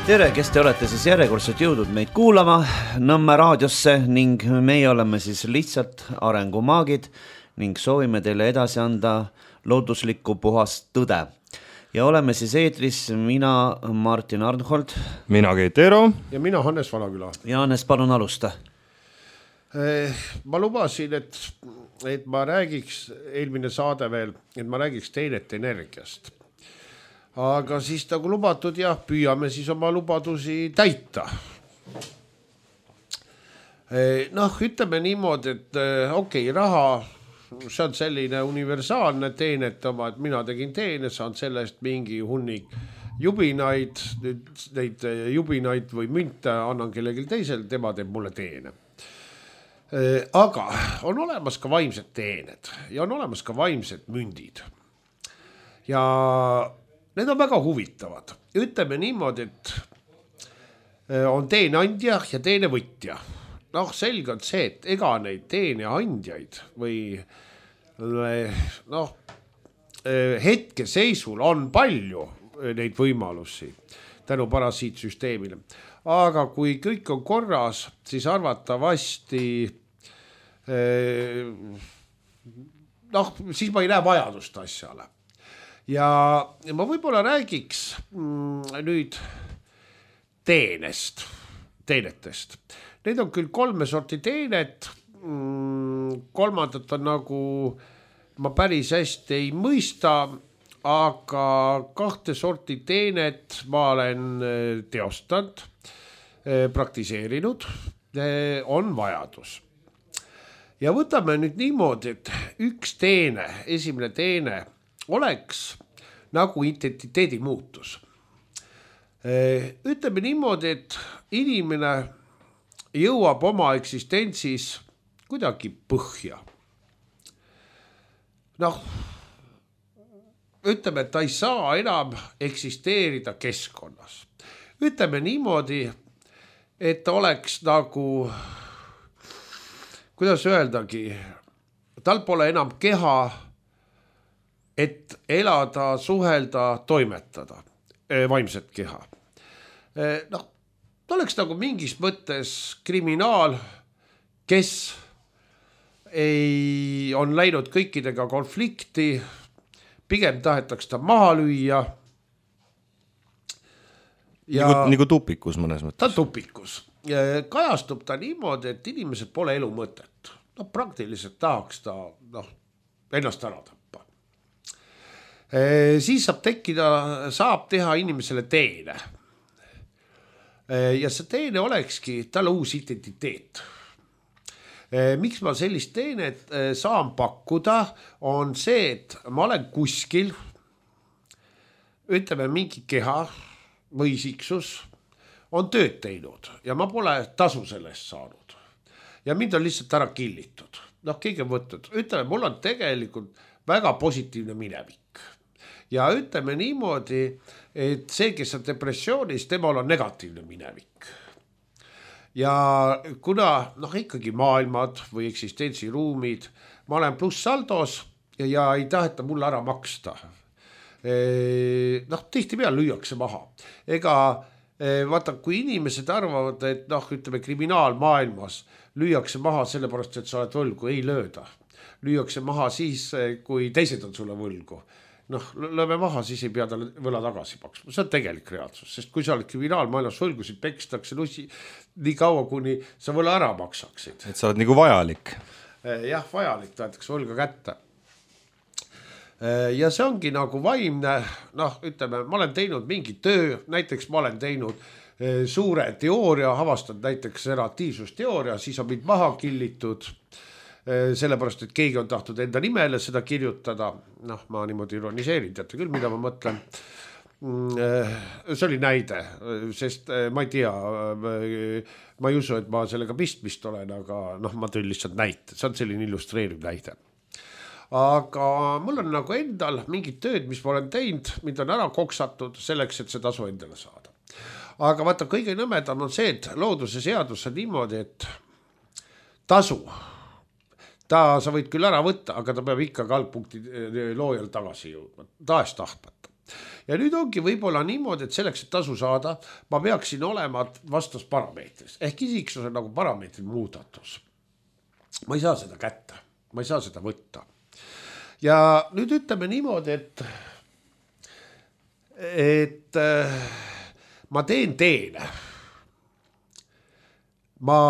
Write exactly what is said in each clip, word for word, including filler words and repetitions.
Tere, kes te olete siis järjekordselt jõudnud meid kuulama Nõmme raadiosse ning meie oleme siis lihtsalt arengumaagid ning soovime teile edasi anda looduslikku puhast tõde. Ja oleme siis eetris mina, Martin Arnhold. Mina Keit Eero. Ja mina Hannes Valaküla. Ja Hannes, palun alusta. Ma lubasin, et, et ma räägiks, eelmine saade veel, et ma räägiks teenete energiast. Aga siis nagu lubatud, jah, püüame siis oma lubadusi täita. Noh, ütleme niimoodi, et okei, okay, raha, see on selline universaalne teenet oma, et mina tegin teene, saan sellest mingi hunnik jubinaid, neid jubinaid või münte annan kellelgi teisel, tema teeb mulle teene. Aga on olemas ka vaimsed teened ja on olemas ka vaimsed mündid. Ja need on väga huvitavad. Ütleme niimoodi, et on teeneandja ja teenevõtja. Noh, selge on see, et ega neid teeneandjaid või noh, hetke seisul on palju neid võimalusi tänu parasiitsüsteemile. Aga kui kõik on korras, siis arvatavasti noh, siis ma ei näe vajadust asjale. Ja ma võib-olla räägiks nüüd teenest, teenetest. Need on küll kolme sorti teenet, kolmandat on nagu ma päris hästi ei mõista, aga kahte sorti teenet ma olen teostanud, praktiseerinud, on vajadus. Ja võtame nüüd niimoodi, et üks teene, esimene teene, oleks nagu identiteedi muutus. Ütleme niimoodi, et inimene jõuab oma eksistentsis kuidagi põhja. Noh, ütleme, et ta ei saa enam eksisteerida keskkonnas. Ütleme niimoodi, et ta oleks nagu, kuidas öeldagi, tal pole enam keha, et elada, suhelda, toimetada, vaimset keha. Noh, ta oleks nagu mingis mõttes kriminaal, kes ei on läinud kõikidega konflikti, pigem tahetaks ta maha lüüa. Ja nagu, nagu tupikus mõnes mõttes. Ta tupikus. Kajastub ta niimoodi, et inimesed pole elu mõtet. No, praktiliselt tahaks ta noh, ennast ära tappa. Siis saab tekkida, saab teha inimesele teene. Ja see teene olekski talle uus identiteet. Miks ma sellist teenet saan pakkuda, on see, et ma olen kuskil, ütleme mingi keha või isiksus, on tööd teinud ja ma pole tasu sellest saanud. Ja mind on lihtsalt ära killitud. Noh, keegi on võtnud. Ütleme, mul on tegelikult väga positiivne minevik. Ja ütleme niimoodi, et see, kes on depressioonis, temal on negatiivne minevik. Ja kuna noh, ikkagi maailmad või eksistentsiruumid, ma olen plussaldos ja ei taheta mulle ära maksta. Noh, tihti peal lüüakse maha. Ega vaata, kui inimesed arvavad, et noh, ütleme kriminaalmaailmas lüüakse maha sellepärast, et sa oled võlgu, ei lööda. Lüüakse maha siis, kui teised on sulle võlgu. Noh, lööme maha, siis ei pea talle võla tagasi maksma. See on tegelik reaalsus, sest kui sa oled kriminaalmaailmas võlgusid pekstakse nussi nii kaua, kuni sa võla ära maksaksid. Et sa oled nagu vajalik. Jah, vajalik, tahetakse võlga kätte. Ja see ongi nagu vaimne, noh, ütleme, ma olen teinud mingi töö, näiteks ma olen teinud suure teooria, avastanud näiteks relatiivsusteooria, siis on mind maha killitud, sellepärast, et keegi on tahtnud enda nimele seda kirjutada. Noh, ma niimoodi ironiseerin, teate küll, mida ma mõtlen. See oli näide, sest ma ei tea, ma ei usu, et ma sellega pistmist olen, aga noh, ma tõin lihtsalt näite. See on selline illustreeriv näide. Aga mul on nagu endal mingid tööd, mis ma olen teinud, mind on ära koksatud selleks, et see tasu endale saada. Aga vaata, kõige nõmedam on see, et looduse seadus on niimoodi, et tasu ta, sa võid küll ära võtta, aga ta peab ikka algpunkti loojal tagasi jõudma, tahes tahtmata. ja nüüd ongi võib-olla niimoodi, et selleks, et tasu saada, ma peaksin olema vastas parameetris ehk isiksuse nagu parameetri muudatus. Ma ei saa seda kätte, ma ei saa seda võtta. Ja nüüd ütleme niimoodi, et, et äh, ma teen teene. Ma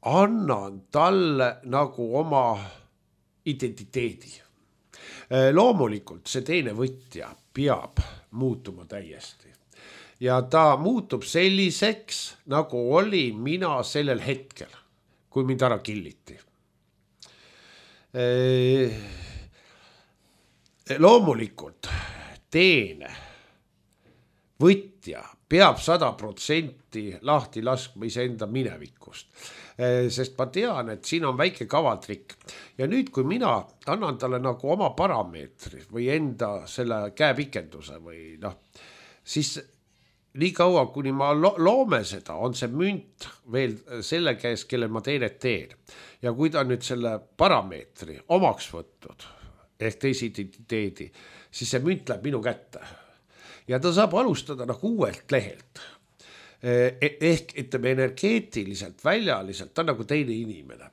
annan talle nagu oma identiteedi. Loomulikult see teine võtja peab muutuma täiesti ja ta muutub selliseks, nagu oli mina sellel hetkel, kui mind ära killiti. Loomulikult teine võtja peab sada protsenti lahti laskma iseenda minevikust, sest ma tean, et siin on väike kavaltrikk ja nüüd, kui mina annan talle nagu oma parameetri või enda selle käepikenduse või noh, siis nii kaua, kuni ma lo- loome seda, on see münt veel selle käes, kelle ma teenet teen ja kui ta nüüd selle parameetri omaks võtnud ehk teise identiteedi, siis see münt läheb minu kätte ja ta saab alustada nagu uuelt lehelt. Ehk ütleme energeetiliselt, väljaliselt, ta on nagu teine inimene.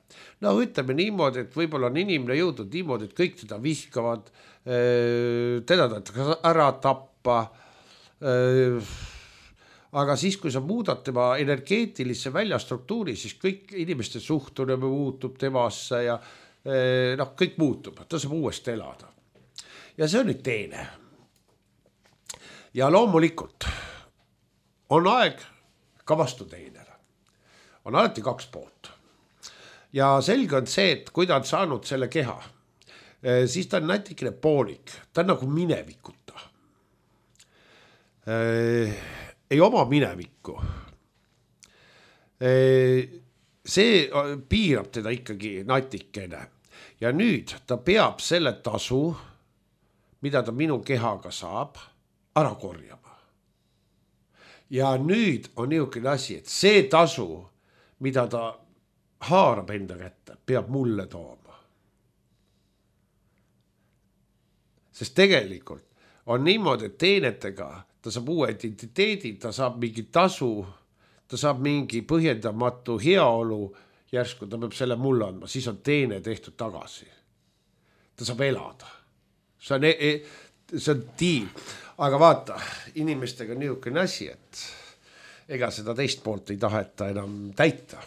No ütleme niimoodi, et võib-olla on inimene jõudnud niimoodi, et kõik teda vihkavad, teda tahetakse ära tappa. Aga siis, kui sa muudad tema energeetilisse väljastruktuuri, siis kõik inimeste suhtumine muutub temasse ja noh, kõik muutub, ta saab uuesti elada. Ja see on nüüd teine. Ja loomulikult on aeg ka vastu teinele. On alati kaks poolt. Ja selge on see, et kui ta on saanud selle keha, siis ta on natikene poolik. Ta on nagu minevikuta. Ei oma minevikku. See piirab teda ikkagi natikene. Ja nüüd ta peab selle tasu, mida ta minu kehaga saab, ära korjama. Ja nüüd on niisugune asi, et see tasu, mida ta haarab enda kätte, peab mulle tooma. Sest tegelikult on niimoodi, et teenetega ta saab uue identiteedi, ta saab mingi tasu, ta saab mingi põhjendamatu heaolu, järsku ta peab selle mulle andma, siis on teene tehtud tagasi. Ta saab elada. See on, see on tiim. Aga vaata, inimestega on niisugune asi, et ega seda teist poolt ei taheta enam täita.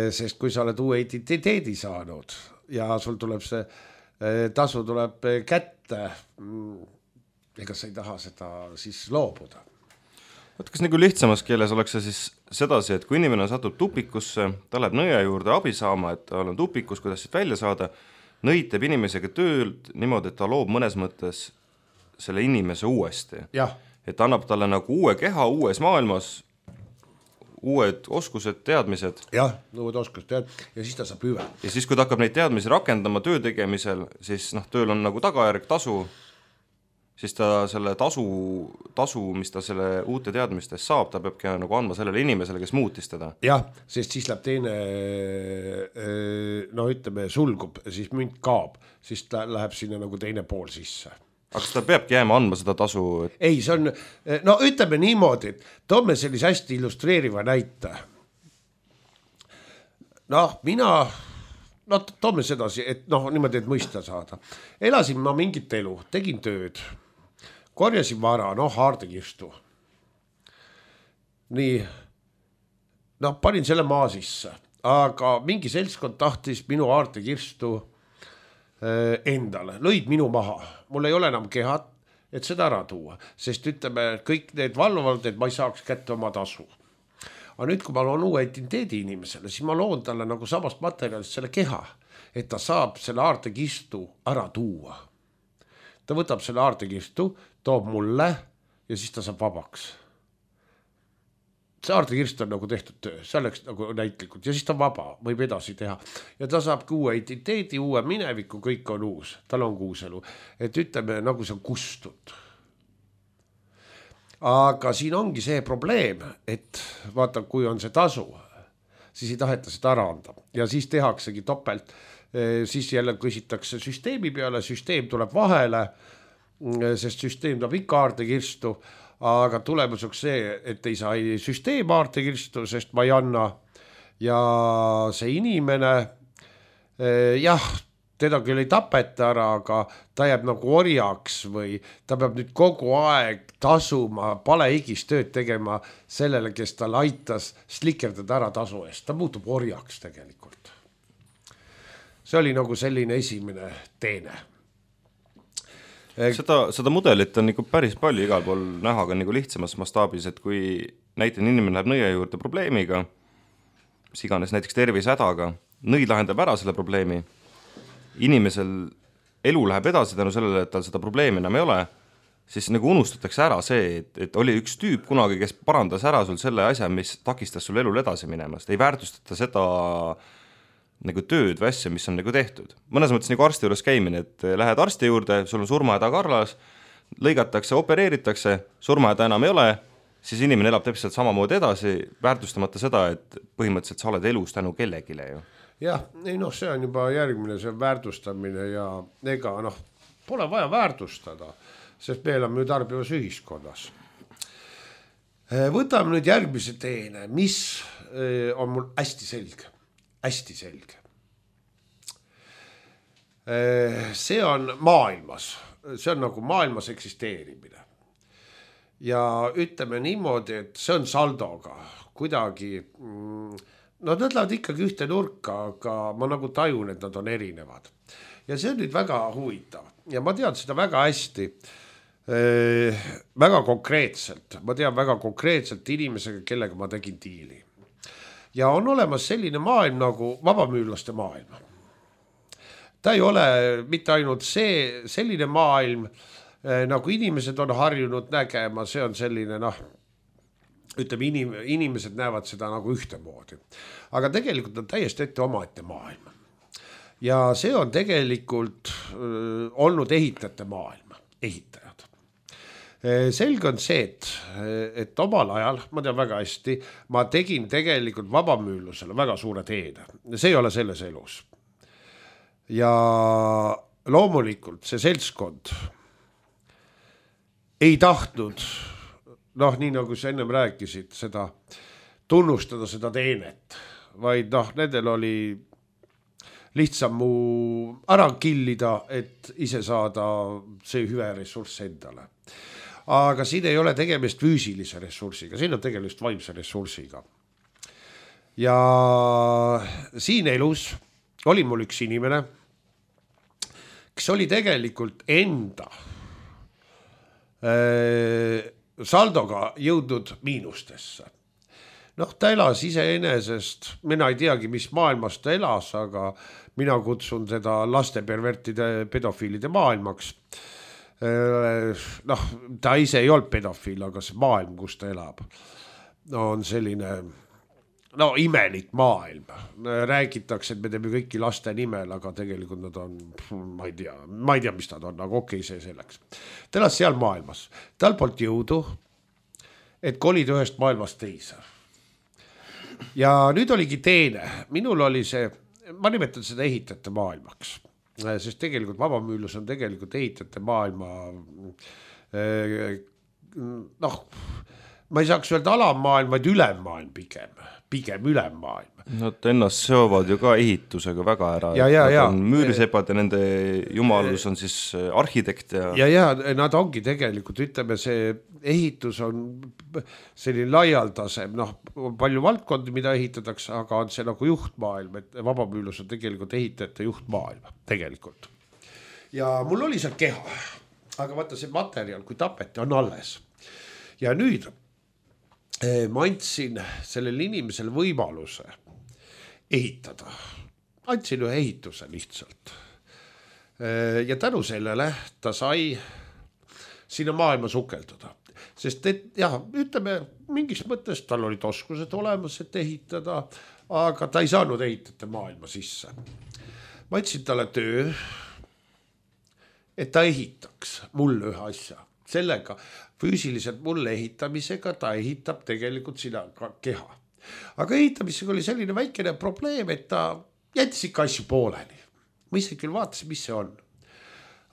Sest kui sa oled uue identiteedi saanud ja sul tuleb see tasu tuleb kätte, ega sa ei taha seda siis loobuda. Võt, kas nagu lihtsamas keeles oleks see siis sedasi, et kui inimene satub tupikusse, ta läheb nõja juurde abi saama, et ta on tupikus, kuidas siit välja saada, nõid teeb inimesega tööd niimoodi, et ta loob mõnes mõttes selle inimese uuesti. Ja. Et annab talle nagu uue keha uues maailmas, uued oskused, teadmised. Jah, uued oskused, tead, ja siis ta saab hüve. Ja siis, kui ta hakkab neid teadmisi rakendama töö tegemisel, siis noh, tööl on nagu tagajärg tasu, siis ta selle tasu, tasu, mis ta selle uute teadmistes saab, ta peabki nagu andma sellele inimesele, kes muutis teda. Jah, sest siis läheb teine, no ütleme, sulgub, siis münt kaab, siis ta läheb sinna nagu teine pool sisse. Aga kas ta peabki jääma andma seda tasu? Et... Ei, see on, no ütleme niimoodi, et toome sellise hästi illustreeriva näite. Noh, mina, no toome sedasi, et noh, niimoodi, et mõista saada. Elasin ma mingit elu, tegin tööd, korjasin vara, noh, haardekirstu. Nii, noh, panin selle maa sisse, aga mingi seltskond tahtis minu haardekirstu endale, lõid minu maha, mul ei ole enam kehat, et seda ära tuua, sest ütleme, kõik need valvavad, et ma ei saaks kätte oma tasu. Aga nüüd, kui ma loon uue identiteedi inimesele, siis ma loon talle nagu samast materjalist selle keha, et ta saab selle haardekistu ära tuua. Ta võtab selle haardekistu, toob mulle ja siis ta saab vabaks. See haardekirst on nagu tehtud töö, see oleks nagu näitlikult ja siis ta vaba, võib edasi teha. Ja ta saab uue identiteedi, uue mineviku, kõik on uus, tal on uus elu. Et ütleme, nagu see on kustud. Aga siin ongi see probleem, et vaata, kui on see tasu, siis ei taheta seda ära anda. Ja siis tehaksegi topelt, siis jälle küsitakse süsteemi peale, süsteem tuleb vahele sest süsteem toob ikka aartekirstu, aga tulemuseks see, et ei saa ei süsteem aartekirstu, sest ma ei anna ja see inimene, jah, teda küll ei tapeta ära, aga ta jääb nagu orjaks või ta peab nüüd kogu aeg tasuma, palehigis tööd tegema sellele, kes tal aitas slikerdada ära tasu eest. Ta muutub orjaks tegelikult. See oli nagu selline esimene teene. Seda, seda mudelit on nagu päris palju igal pool näha ka nagu lihtsamas mastaabis, et kui näiteks inimene läheb nõia juurde probleemiga, mis iganes näiteks tervisehädaga, nõid lahendab ära selle probleemi, inimesel elu läheb edasi tänu sellele, et tal seda probleemi enam ei ole, siis nagu unustatakse ära see, et, et oli üks tüüp kunagi, kes parandas ära sul selle asja, mis takistas sul elul edasi minemast. Ei väärtustata seda nagu tööd või asja, mis on nagu tehtud. Mõnes mõttes nagu arsti juures käimine, et lähed arsti juurde, sul on surmahäda karlas, lõigatakse, opereeritakse, surmahäda enam ei ole, siis inimene elab täpselt samamoodi edasi, väärtustamata seda, et põhimõtteliselt sa oled elus tänu kellegile ju. Jah, ei noh, see on juba järgmine, see on väärtustamine ja ega noh, pole vaja väärtustada, sest me elame ju tarbivas ühiskonnas. Võtame nüüd järgmise teene, mis on mul hästi selge, hästi selge. See on maailmas, see on nagu maailmas eksisteerimine. Ja ütleme niimoodi, et see on saldoga kuidagi... No nad lähevad ikkagi ühte nurka, aga ma nagu tajun, et nad on erinevad. Ja see on nüüd väga huvitav. Ja ma tean seda väga hästi, äh, väga konkreetselt. Ma tean väga konkreetselt inimesega, kellega ma tegin diili. Ja on olemas selline maailm nagu vabamüürlaste maailm. Ta ei ole mitte ainult see, selline maailm, äh, nagu inimesed on harjunud nägema, see on selline, noh, ütleme, inim, inimesed näevad seda nagu ühtemoodi. Aga tegelikult on täiesti ette omaette maailm. Ja see on tegelikult öö, olnud ehitajate maailm, ehitajad. Selge on see, et, et omal ajal, ma tean väga hästi, ma tegin tegelikult vabamüürlusele väga suure teene. See ei ole selles elus. Ja loomulikult see seltskond ei tahtnud noh, nii nagu sa ennem rääkisid, seda tunnustada seda teenet, vaid noh, nendel oli lihtsam mu ära killida, et ise saada see hüve ressurss endale. Aga siin ei ole tegemist füüsilise ressursiga, siin on tegemist vaimse ressursiga. Ja siin elus oli mul üks inimene, kes oli tegelikult enda äh, saldoga jõudnud miinustesse. Noh, ta elas iseenesest, mina ei teagi, mis maailmas ta elas, aga mina kutsun seda lastepervertide pedofiilide maailmaks. Noh, ta ise ei olnud pedofiil, aga see maailm, kus ta elab, on selline, no imelik maailm. Räägitakse, et me teeme kõiki laste nimel, aga tegelikult nad on, ma ei tea, ma ei tea, mis nad on, aga okei, see selleks. Ta elas seal maailmas. Tal polnud jõudu, et kolida ühest maailmast teise. Ja nüüd oligi teine. Minul oli see, ma nimetan seda ehitajate maailmaks, sest tegelikult vabamüürlus on tegelikult ehitajate maailma, noh, ma ei saaks öelda alammaailm, vaid ülemmaailm pigem, pigem ülemmaailm. Nad ennast seovad ju ka ehitusega väga ära. Ja, ja, ja. Müürisepad ja nende jumalus on siis arhitekt. Ja... ja, ja, nad ongi tegelikult, ütleme, see ehitus on selline laialdasem, noh, palju valdkondi, mida ehitatakse, aga on see nagu juhtmaailm, et vabamüürlus on tegelikult ehitajate juhtmaailm, tegelikult. Ja mul oli seal keha, aga vaata see materjal, kui tapeti, on alles. Ja nüüd ma andsin sellele inimesele võimaluse ehitada. Andsin ühe ehituse lihtsalt. Ja tänu sellele ta sai sinna maailma sukelduda. Sest et, jah, ütleme, mingis mõttes tal olid oskused olemas, et ehitada, aga ta ei saanud ehitada maailma sisse. Ma andsin talle töö, et ta ehitaks mulle ühe asja. Sellega füüsiliselt mulle ehitamisega ta ehitab tegelikult sina keha. Aga ehitamisega oli selline väikene probleem, et ta jättis ikka asju pooleni. Ma ise küll vaatasin, mis see on.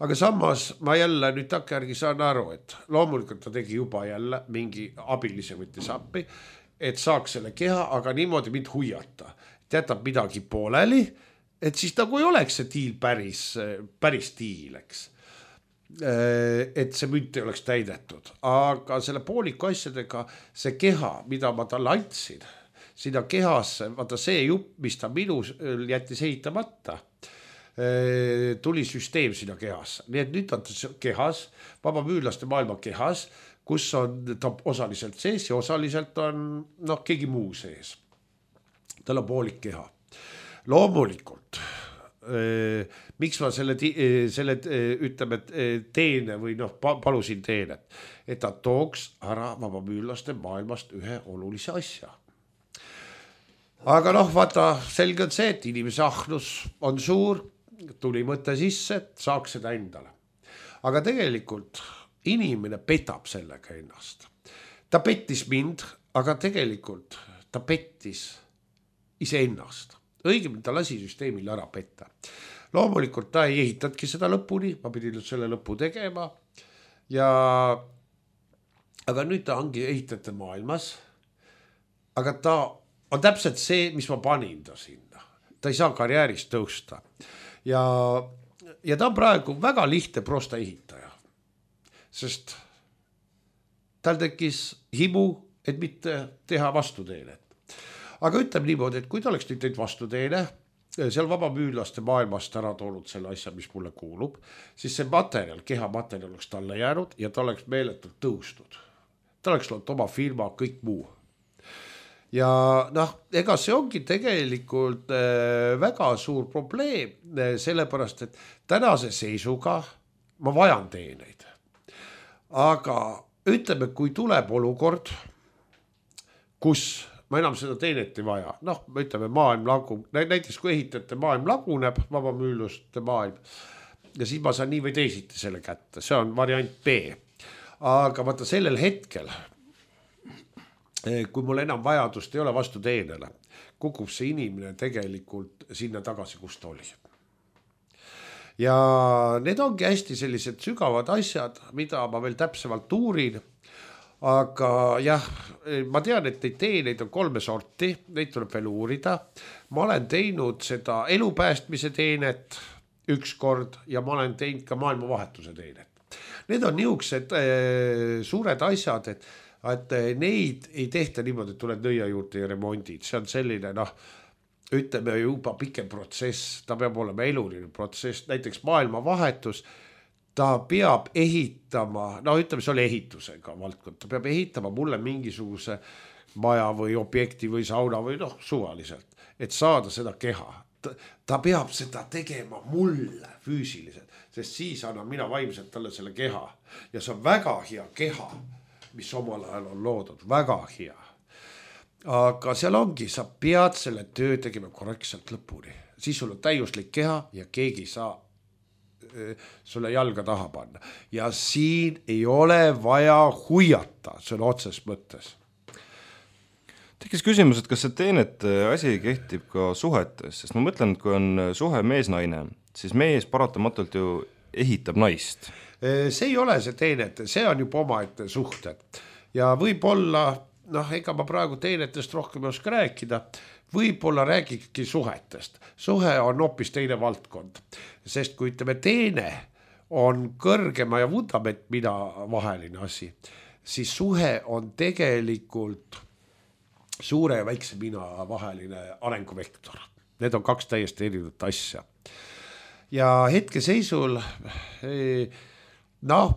aga samas ma jälle nüüd takkajärgi saan aru, et loomulikult ta tegi juba jälle mingi abilise võttis appi, et saaks selle keha, aga niimoodi mind huiata. Jätab midagi pooleli, et siis nagu ei oleks see diil päris, päris diil, eks. Et see münt ei oleks täidetud. Aga selle pooliku asjadega see keha, mida ma talle andsin, sinna kehasse, vaata see jupp, mis ta minu jättis ehitamata, tuli süsteem sinna kehasse. Nii et nüüd on ta kehas, vabamüürlaste maailma kehas, kus on ta osaliselt sees ja osaliselt on noh, keegi muu sees. Tal on poolik keha. Loomulikult, eh, miks ma selle, selle ütleme, teene või noh, palusin teenet, et ta tooks ära vabamüürlaste maailmast ühe olulise asja. Aga noh, vaata, selge on see, et inimese ahnus on suur, tuli mõte sisse, et saaks seda endale. Aga tegelikult inimene petab sellega ennast. Ta pettis mind, aga tegelikult ta pettis iseennast. Õigemini ta lasi süsteemil ära petta. Loomulikult ta ei ehitatki seda lõpuni, ma pidin selle lõpu tegema. Ja, aga nüüd ta ongi ehitajate maailmas. Aga ta on täpselt see, mis ma panin ta sinna. Ta ei saa karjäärist tõusta. Ja, ja ta on praegu väga lihtne prosta ehitaja. Sest tal tekkis himu, et mitte teha vastuteenet. Aga ütleme niimoodi, et kui ta oleks nüüd teinud vastuteene, seal vabamüürlaste maailmast ära toonud selle asja, mis mulle kuulub, siis see materjal, keha materjal oleks talle jäänud ja ta oleks meeletult tõustud. Ta oleks olnud oma firma, kõik muu. Ja noh, ega see ongi tegelikult äh, väga suur probleem, äh, sellepärast, et tänase seisuga ma vajan teeneid. Aga ütleme, kui tuleb olukord, kus ma enam seda teenet ei vaja, noh, me ütleme maailm lagub, näiteks kui ehitajate maailm laguneb, vabamüürluste maailm, ja siis ma saan nii või teisiti selle kätte, see on variant B. Aga vaata sellel hetkel, kui mul enam vajadust ei ole vastu teenele, kukub see inimene tegelikult sinna tagasi, kus ta oli. Ja need ongi hästi sellised sügavad asjad, mida ma veel täpsemalt uurin, aga jah, ma tean, et neid teeneid on kolme sorti, neid tuleb veel uurida. Ma olen teinud seda elupäästmise teenet üks kord ja ma olen teinud ka maailmavahetuse teenet. Need on niisugused äh, suured asjad, et et neid ei tehta niimoodi, et tuled nõia juurde ja remondid. See on selline, noh, ütleme juba pikem protsess, ta peab olema eluline protsess, näiteks maailmavahetus, ta peab ehitama, no ütleme, see oli ehitusega valdkond, ta peab ehitama mulle mingisuguse maja või objekti või sauna või noh, suvaliselt, et saada seda keha. Ta, ta peab seda tegema mulle füüsiliselt, sest siis annan mina vaimselt talle selle keha ja see on väga hea keha, mis omal ajal on loodud, väga hea. Aga seal ongi, sa pead selle töö tegema korrektselt lõpuni. Siis sul on täiuslik keha ja keegi saa sulle jalga taha panna. Ja siin ei ole vaja huiata, see on otses mõttes. Tekkis küsimus, et kas see teenete asi kehtib ka suhetes, sest ma mõtlen, et kui on suhe mees-naine, siis mees paratamatult ju ehitab naist. See ei ole see teenete, see on juba omaette suhted. Ja võib-olla, noh, ega ma praegu teenetest rohkem ei oska rääkida, võib-olla räägikski suhetest. Suhe on hoopis teine valdkond, sest kui ütleme, teene on kõrgema ja vundament mina vaheline asi, siis suhe on tegelikult suure ja väikse mina vaheline arenguvektor. Need on kaks täiesti erinevat asja. Ja hetke seisul noh,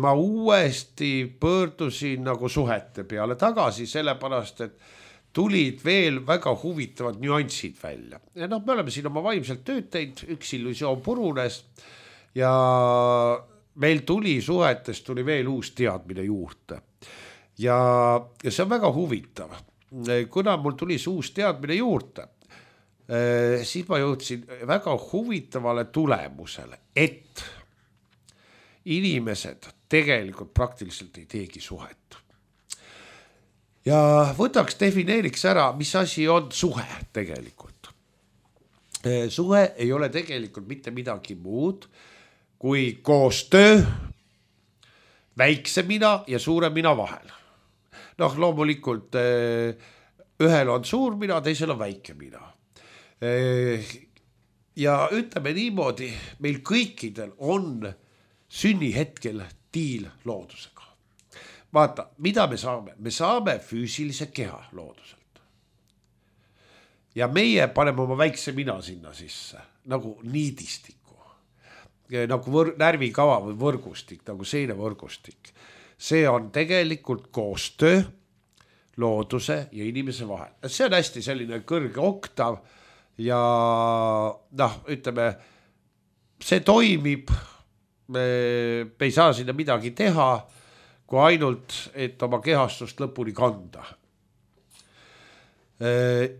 ma uuesti pöördusin nagu suhete peale tagasi, sellepärast, et tulid veel väga huvitavad nüansid välja. Ja noh, me oleme siin oma vaimselt tööd teinud, üks illusioon purunes ja meil tuli suhetest, tuli veel uus teadmine juurde. Ja, ja see on väga huvitav. Kuna mul tuli see uus teadmine juurde, siis ma jõudsin väga huvitavale tulemusele, et inimesed tegelikult praktiliselt ei teegi suhet. Ja võtaks, defineeriks ära, mis asi on suhe tegelikult. Suhe ei ole tegelikult mitte midagi muud, kui koostöö väikse mina ja suure mina vahel. Noh, loomulikult ühel on suur mina, teisel on väike mina. Ja ütleme niimoodi, meil kõikidel on sünnihetkel diil loodusega. Vaata, mida me saame? Me saame füüsilise keha looduselt. Ja meie paneme oma väikse mina sinna sisse, nagu niidistiku, nagu võr- närvikava või võrgustik, nagu seinevõrgustik. See on tegelikult koostöö looduse ja inimese vahel. See on hästi selline kõrge oktav ja noh, ütleme, see toimib, me, me ei saa sinna midagi teha, kui ainult, et oma kehastust lõpuni kanda.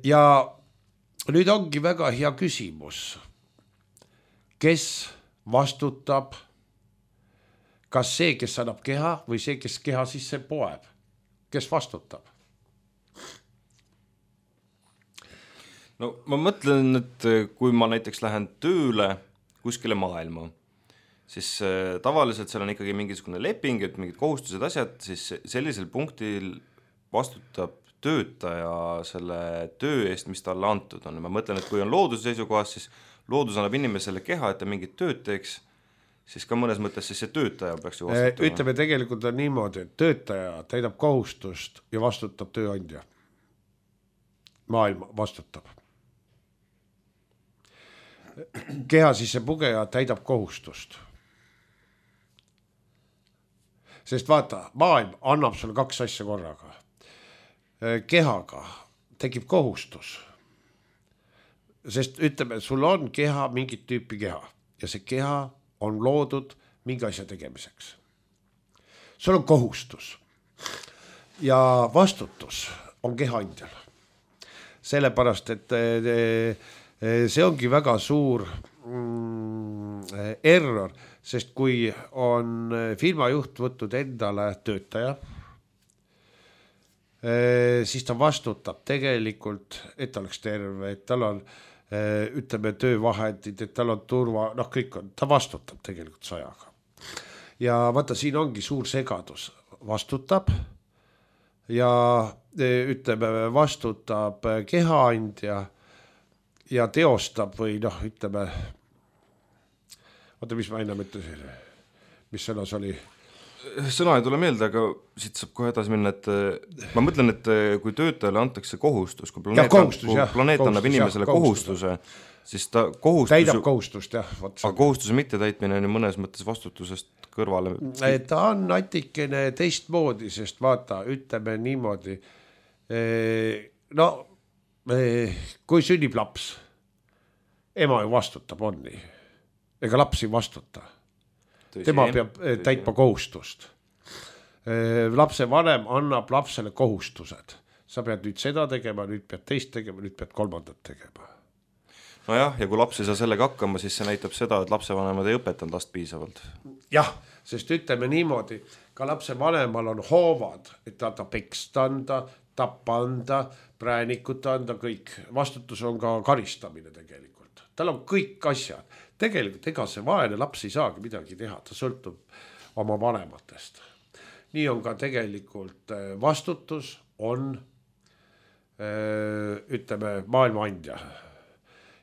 Ja nüüd ongi väga hea küsimus, kes vastutab, kas see, kes annab keha või see, kes keha sisse poeb, kes vastutab? No ma mõtlen, et kui ma näiteks lähen tööle kuskile maailma, siis tavaliselt seal on ikkagi mingisugune leping, et mingid kohustused asjad, siis sellisel punktil vastutab töötaja selle töö eest, mis talle antud on. Ma mõtlen, et kui on looduse seisukohas, siis loodus annab inimesele keha, et ta mingit tööd teeks, siis ka mõnes mõttes siis see töötaja peaks ju vastutama. Ütleme, tegelikult on niimoodi, et töötaja täidab kohustust ja vastutab tööandja. Maailma vastutab. Keha sisse pugeja täidab kohustust. Sest vaata, maailm annab sulle kaks asja korraga. Kehaga tekib kohustus. Sest ütleme, sul on keha, mingit tüüpi keha ja see keha on loodud mingi asja tegemiseks. Sul on kohustus ja vastutus on kehaandjal. Sellepärast, et see ongi väga suur error, sest kui on firma juht võtnud endale töötaja, siis ta vastutab tegelikult, et ta oleks terve, et tal on ütleme töövahendid, et tal on turva, noh kõik on, ta vastutab tegelikult sajaga. Ja vaata, siin ongi suur segadus, vastutab ja ütleme vastutab kehaandja ja teostab või noh, ütleme, oota, mis ma ennem ütlesin, mis sõnas oli? Sõna ei tule meelde, aga siit saab kohe edasi minna, et ma mõtlen, et kui töötajale antakse kohustus, kui planeet, ja, kohustus, kui jah, planeet kohustus, annab inimesele jah, kohustuse, siis ta kohustus... Täidab kohustust, jah. Aga kohustuse mitte täitmine on mõnes mõttes vastutusest kõrvale. Ta on natikene teistmoodi, sest vaata, ütleme niimoodi, no kui sünnib laps, ema ju vastutab, on nii. Ega laps ei vastuta. Tema peab täitma kohustust. Lapse vanem annab lapsele kohustused. Sa pead nüüd seda tegema, nüüd pead teist tegema, nüüd pead kolmandat tegema. No jah, ja kui laps ei saa sellega hakkama, siis see näitab seda, et lapse vanemad ei õpetanud last piisavalt. Jah, sest ütleme niimoodi, ka lapse vanemal on hoovad, et ta ta pekst anda, tappa anda, präänikut anda, kõik. Vastutus on ka karistamine tegelikult. Tal on kõik asjad. Tegelikult ega see vaene laps ei saagi midagi teha, ta sõltub oma vanematest. Nii on ka tegelikult vastutus on ütleme maailmaandja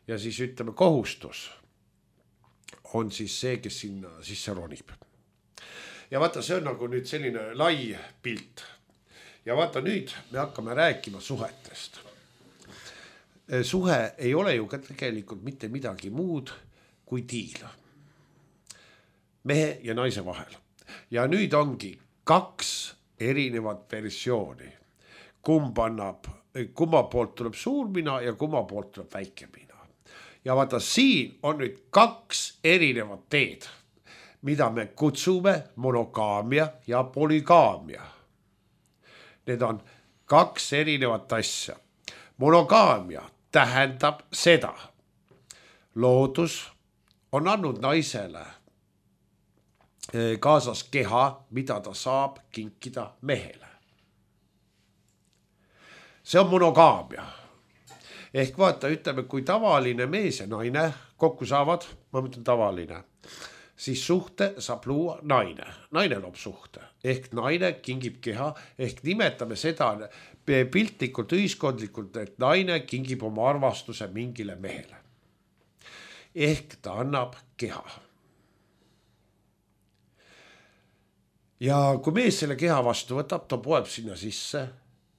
ja siis ütleme kohustus on siis see, kes sinna sisse ronib. Ja vaata, see on nagu nüüd selline lai pilt ja vaata nüüd me hakkame rääkima suhetest. Suhe ei ole ju ka tegelikult mitte midagi muud kui diil mehe ja naise vahel. Ja nüüd ongi kaks erinevat versiooni. Kumb annab, kumma poolt tuleb suur mina ja kumma poolt tuleb väike mina. Ja vaata, siin on nüüd kaks erinevat teed, mida me kutsume monogaamia ja polügaamia. Need on kaks erinevat asja. Monogaamia tähendab seda. Loodus on andnud naisele kaasas keha, mida ta saab kinkida mehele. See on monogaamia. Ehk vaata, ütleme, kui tavaline mees ja naine kokku saavad, ma mõtlen tavaline, siis suhte saab luua naine. Naine loob suhte ehk naine kingib keha ehk nimetame seda piltlikult ühiskondlikult, et naine kingib oma armastuse mingile mehele. Ehk ta annab keha. Ja kui mees selle keha vastu võtab, ta poeb sinna sisse,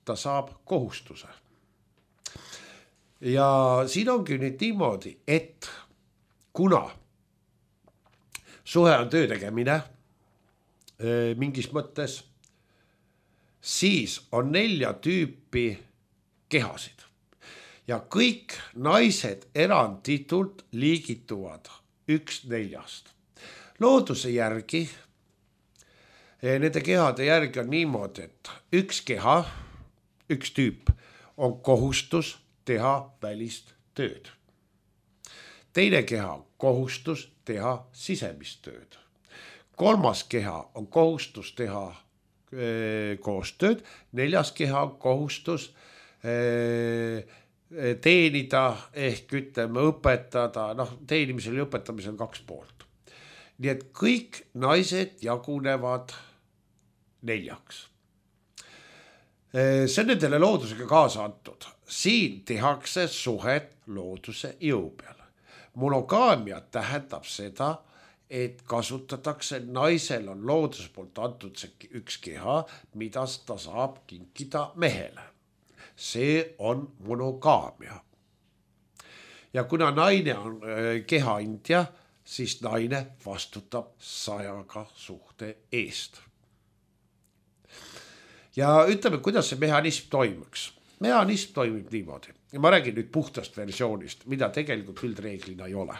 ta saab kohustuse. Ja siin ongi nüüd niimoodi, et kuna suhe on töö tegemine mingis mõttes, siis on nelja tüüpi kehasid. Ja kõik naised eranditult liigituvad üks neljast. Looduse järgi, nende kehade järgi on niimoodi, et üks keha, üks tüüp on kohustus teha välist tööd. Teine keha on kohustus teha sisemist tööd. Kolmas keha on kohustus teha e, koostööd. Neljas keha on kohustus e, teenida ehk ütleme õpetada, noh teenimisel ja õpetamisel on kaks poolt. Nii et kõik naised jagunevad neljaks. See on nendele loodusega kaasa antud. Siin tehakse suhet looduse jõu peale. Monogaamia tähendab seda, et kasutatakse, naisel on looduse poolt antud see üks keha, mida ta saab kinkida mehele. See on monogaamia. Ja kuna naine on keha andja, siis naine vastutab sajaga suhte eest. Ja ütleme, kuidas see mehhanism toimuks. Mehhanism toimib niimoodi. Ja ma räägin nüüd puhtast versioonist, mida tegelikult üldreeglina ei ole.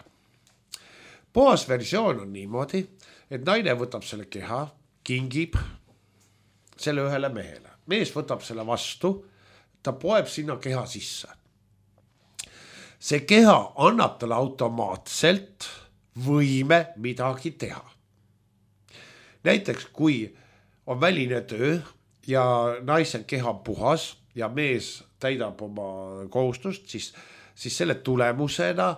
Puhas versioon on niimoodi, et naine võtab selle keha, kingib selle ühele mehele. Mees võtab selle vastu, ta poeb sinna keha sisse. See keha annab talle automaatselt võime midagi teha. Näiteks kui on väline töö ja naise keha puhas ja mees täidab oma kohustust, siis, siis selle tulemusena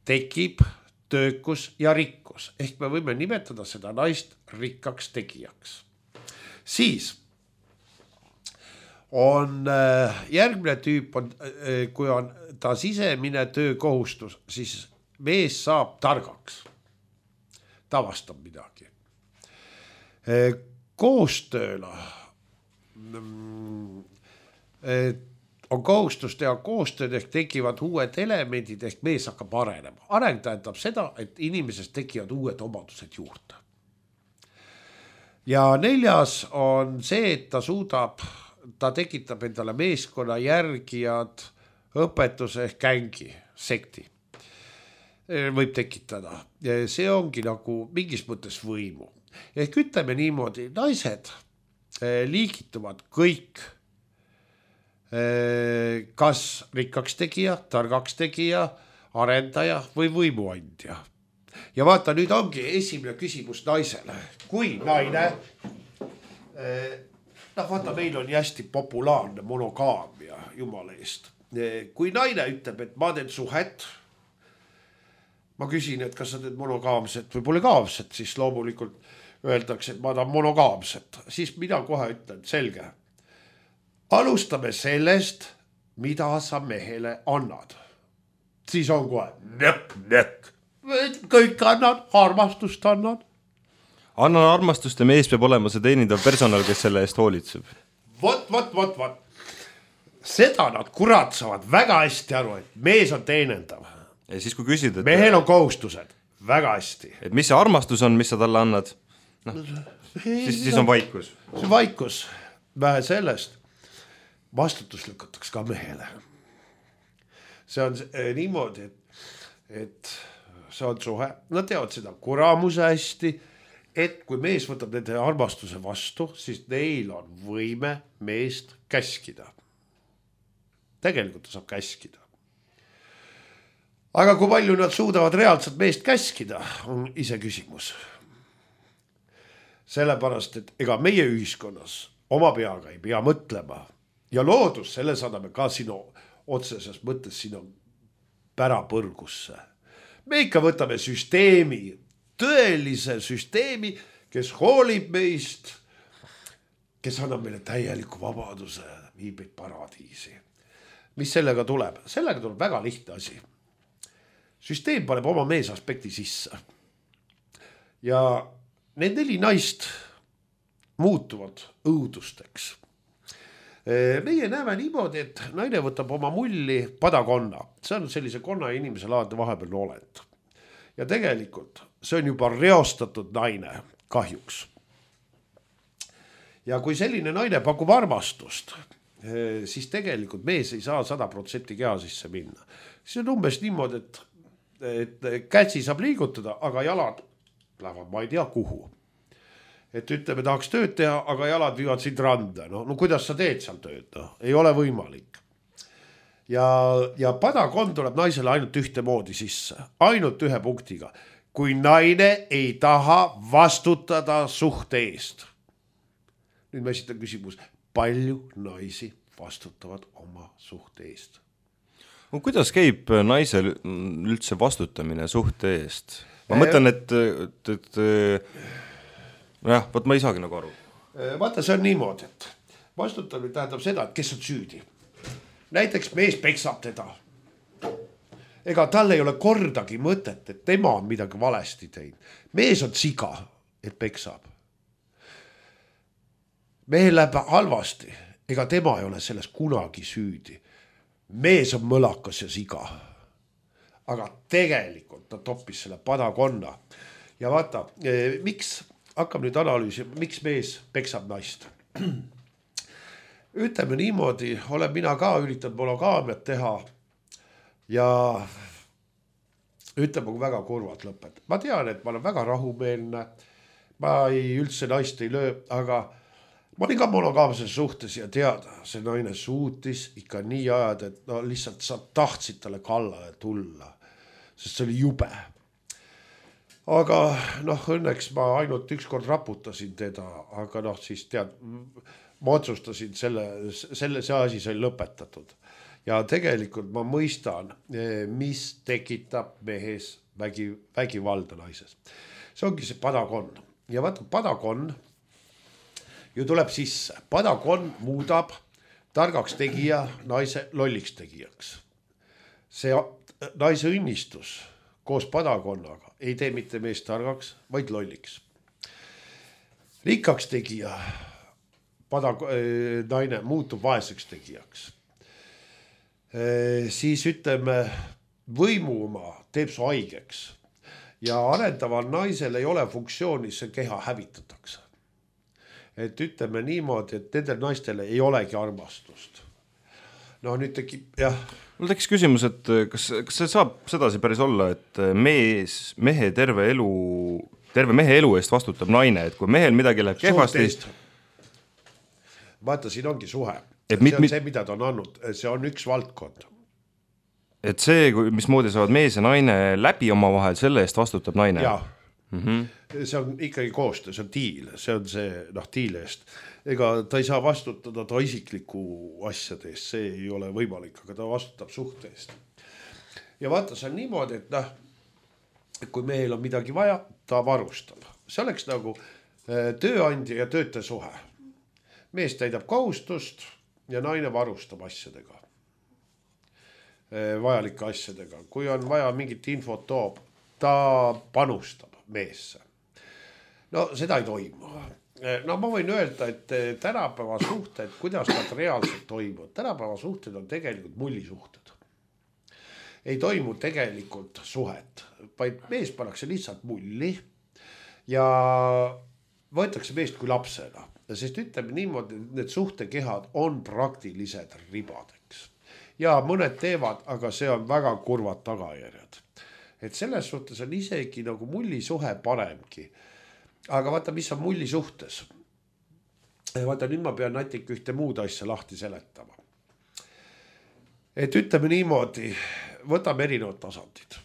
tekib töökus ja rikkus. Ehk me võime nimetada seda naist rikkaks tegijaks. Siis on järgmine tüüp, on, kui on ta sisemine töökohustus, siis mees saab targaks. Ta vastab midagi. Koostööla on kohustus teha koostööd ehk tekivad uued elemendid ehk mees hakkab arenema. Areng tähendab seda, et inimesest tekivad uued omadused juurde. Ja neljas on see, et ta suudab, ta tekitab endale meeskonna järgijad, õpetuse ehk gängi, sekti. Võib tekitada. See ongi nagu mingis mõttes võimu. Ehk ütleme niimoodi, naised liigituvad kõik kas rikkaks tegija, targaks tegija, arendaja või võimuandja. Ja vaata, nüüd ongi esimene küsimus naisele. Kui naine, noh vaata, meil on hästi populaarne monogaamia jumala eest. Kui naine ütleb, et ma teen suhet, ma küsin, et kas sa teed monogaamset või polygaamset, siis loomulikult öeldakse, et ma tahan monogaamset. Siis mina kohe ütlen, selge. Alustame sellest, mida sa mehele annad. Siis on kohe nek, nek. Kõik annad, armastust annad. Annan armastust ja mees peab olema see teenindav personal, kes selle eest hoolitseb. Vot, vot, vot, vot. Seda nad kurat saavad väga hästi aru, et mees on teenendav. Ja siis kui küsid, et mehel on kohustused, väga hästi. Et mis see armastus on, mis sa talle annad? No, siis, siis on vaikus. See vaikus, vähe sellest. Vastutus lükatakse ka mehele. See on niimoodi, et, et see on suhe. Nad teavad seda kuramuse hästi, et kui mees võtab nende armastuse vastu, siis neil on võime meest käskida. Tegelikult ta saab käskida. Aga kui palju nad suudavad reaalselt meest käskida, on ise küsimus. Sellepärast, et ega meie ühiskonnas oma peaga ei pea mõtlema. Ja loodus, selle saadame ka sinu otseses mõttes sinu pärapõrgusse. Me ikka võtame süsteemi, tõelise süsteemi, kes hoolib meist, kes annab meile täieliku vabaduse, viib meid paradiisi. Mis sellega tuleb? Sellega tuleb väga lihtne asi. Süsteem paneb oma meesaspekti sisse. Ja need neli naist muutuvad õudusteks. Meie näeme niimoodi, et naine võtab oma mulli padakonna. See on sellise konna ja inimese laadne vahepeal olend. Ja tegelikult see on juba reostatud naine, kahjuks. Ja kui selline naine pakub armastust, siis tegelikult mees ei saa sada protsenti keha sisse minna. See on umbes niimoodi, et, et kätsi saab liigutada, aga jalad lähevad ma ei tea kuhu. Et ütleme, tahaks tööd teha, aga jalad viivad sind randa. No, no kuidas sa teed seal tööd? No, ei ole võimalik. Ja, ja padakond tuleb naisele ainult ühte moodi sisse. Ainult ühe punktiga. Kui naine ei taha vastutada suhte eest. Nüüd ma esitan küsimus. Palju naisi vastutavad oma suhte eest? No, kuidas käib naisel üldse vastutamine suhte eest? Ma mõtlen, et... et, et jah, võt ma ei saagi nagu aru. Vaata, see on niimoodi, et vastutamine tähendab seda, et kes on süüdi. Näiteks mees peksab teda. Ega tal ei ole kordagi mõtet, et tema on midagi valesti teinud. Mees on siga, et peksab. Mehel läheb halvasti, ega tema ei ole selles kunagi süüdi. Mees on mõlakas ja siga. Aga tegelikult ta toppis selle padakonna. Ja vaata, miks... hakkab nüüd analüüsi, miks mees peksab naist. Ütleme niimoodi, olen mina ka üritanud monogaamiat teha ja ütleme, kui väga kurvalt lõpet. Ma tean, et ma olen väga rahumeelne, ma ei üldse naist ei löö, aga ma olin ka monogaamses suhtes ja teada, see naine suutis ikka nii ajad, et no lihtsalt sa tahtsid talle kallale tulla, sest see oli jube. Aga noh, õnneks ma ainult üks kord raputasin teda, aga noh, siis tead, ma otsustasin selle, selle see asi sai lõpetatud. Ja tegelikult ma mõistan, mis tekitab mehes vägi, vägivalda naises. See ongi see padakon. Ja vaata, padakon ju tuleb sisse. Padakon muudab targaks tegija naise lolliks tegijaks. See naise õnnistus koos padakonnaga ei tee mitte meest targaks, vaid lolliks. Rikkaks tegija, padak, naine muutub vaeseks tegijaks. Siis ütleme, võimuma teeb su haigeks ja arendaval naisel ei ole funktsiooni, see keha hävitatakse. Et ütleme niimoodi, et nendel naistel ei olegi armastust. No nüüd tekib, jah. Mul tekkis küsimus, et kas, kas see saab sedasi päris olla, et mees, mehe terve elu, terve mehe elu eest vastutab naine, et kui mehel midagi läheb kehvasti... Vaata, siin ongi suhe. Et see mit, on mit... see, mida ta on andnud. See on üks valdkond. Et see, mismoodi saavad mees ja naine läbi oma vahel, selle eest vastutab naine? Jaa. Mm-hmm. See on ikkagi koostöö, see on diil, see on see noh, diil eest. Ega ta ei saa vastutada ta isikliku asjade eest, see ei ole võimalik, aga ta vastutab suhte eest. Ja vaata, see on niimoodi, et noh, kui meil on midagi vaja, ta varustab. See oleks nagu tööandja ja töötaja suhe. Mees täidab kohustust ja naine varustab asjadega. Vajalike asjadega. Kui on vaja mingit infot toob, ta panustab meesse. No seda ei toimu. No ma võin öelda, et tänapäeva suhted, kuidas nad reaalselt toimuvad. Tänapäeva suhted on tegelikult mullisuhted. Ei toimu tegelikult suhet, vaid mees pannakse lihtsalt mulli ja võetakse meest kui lapsena. Sest ütleme niimoodi, need suhtekehad on praktilised ribadeks. Ja mõned teevad, aga see on väga kurvad tagajärjed. Et selles suhtes on isegi nagu mullisuhe paremgi. Aga vaata, mis on mulli suhtes. Vaata, nüüd ma pean natuke ühte muud asja lahti seletama. Et ütleme niimoodi, võtame erinevad tasandid.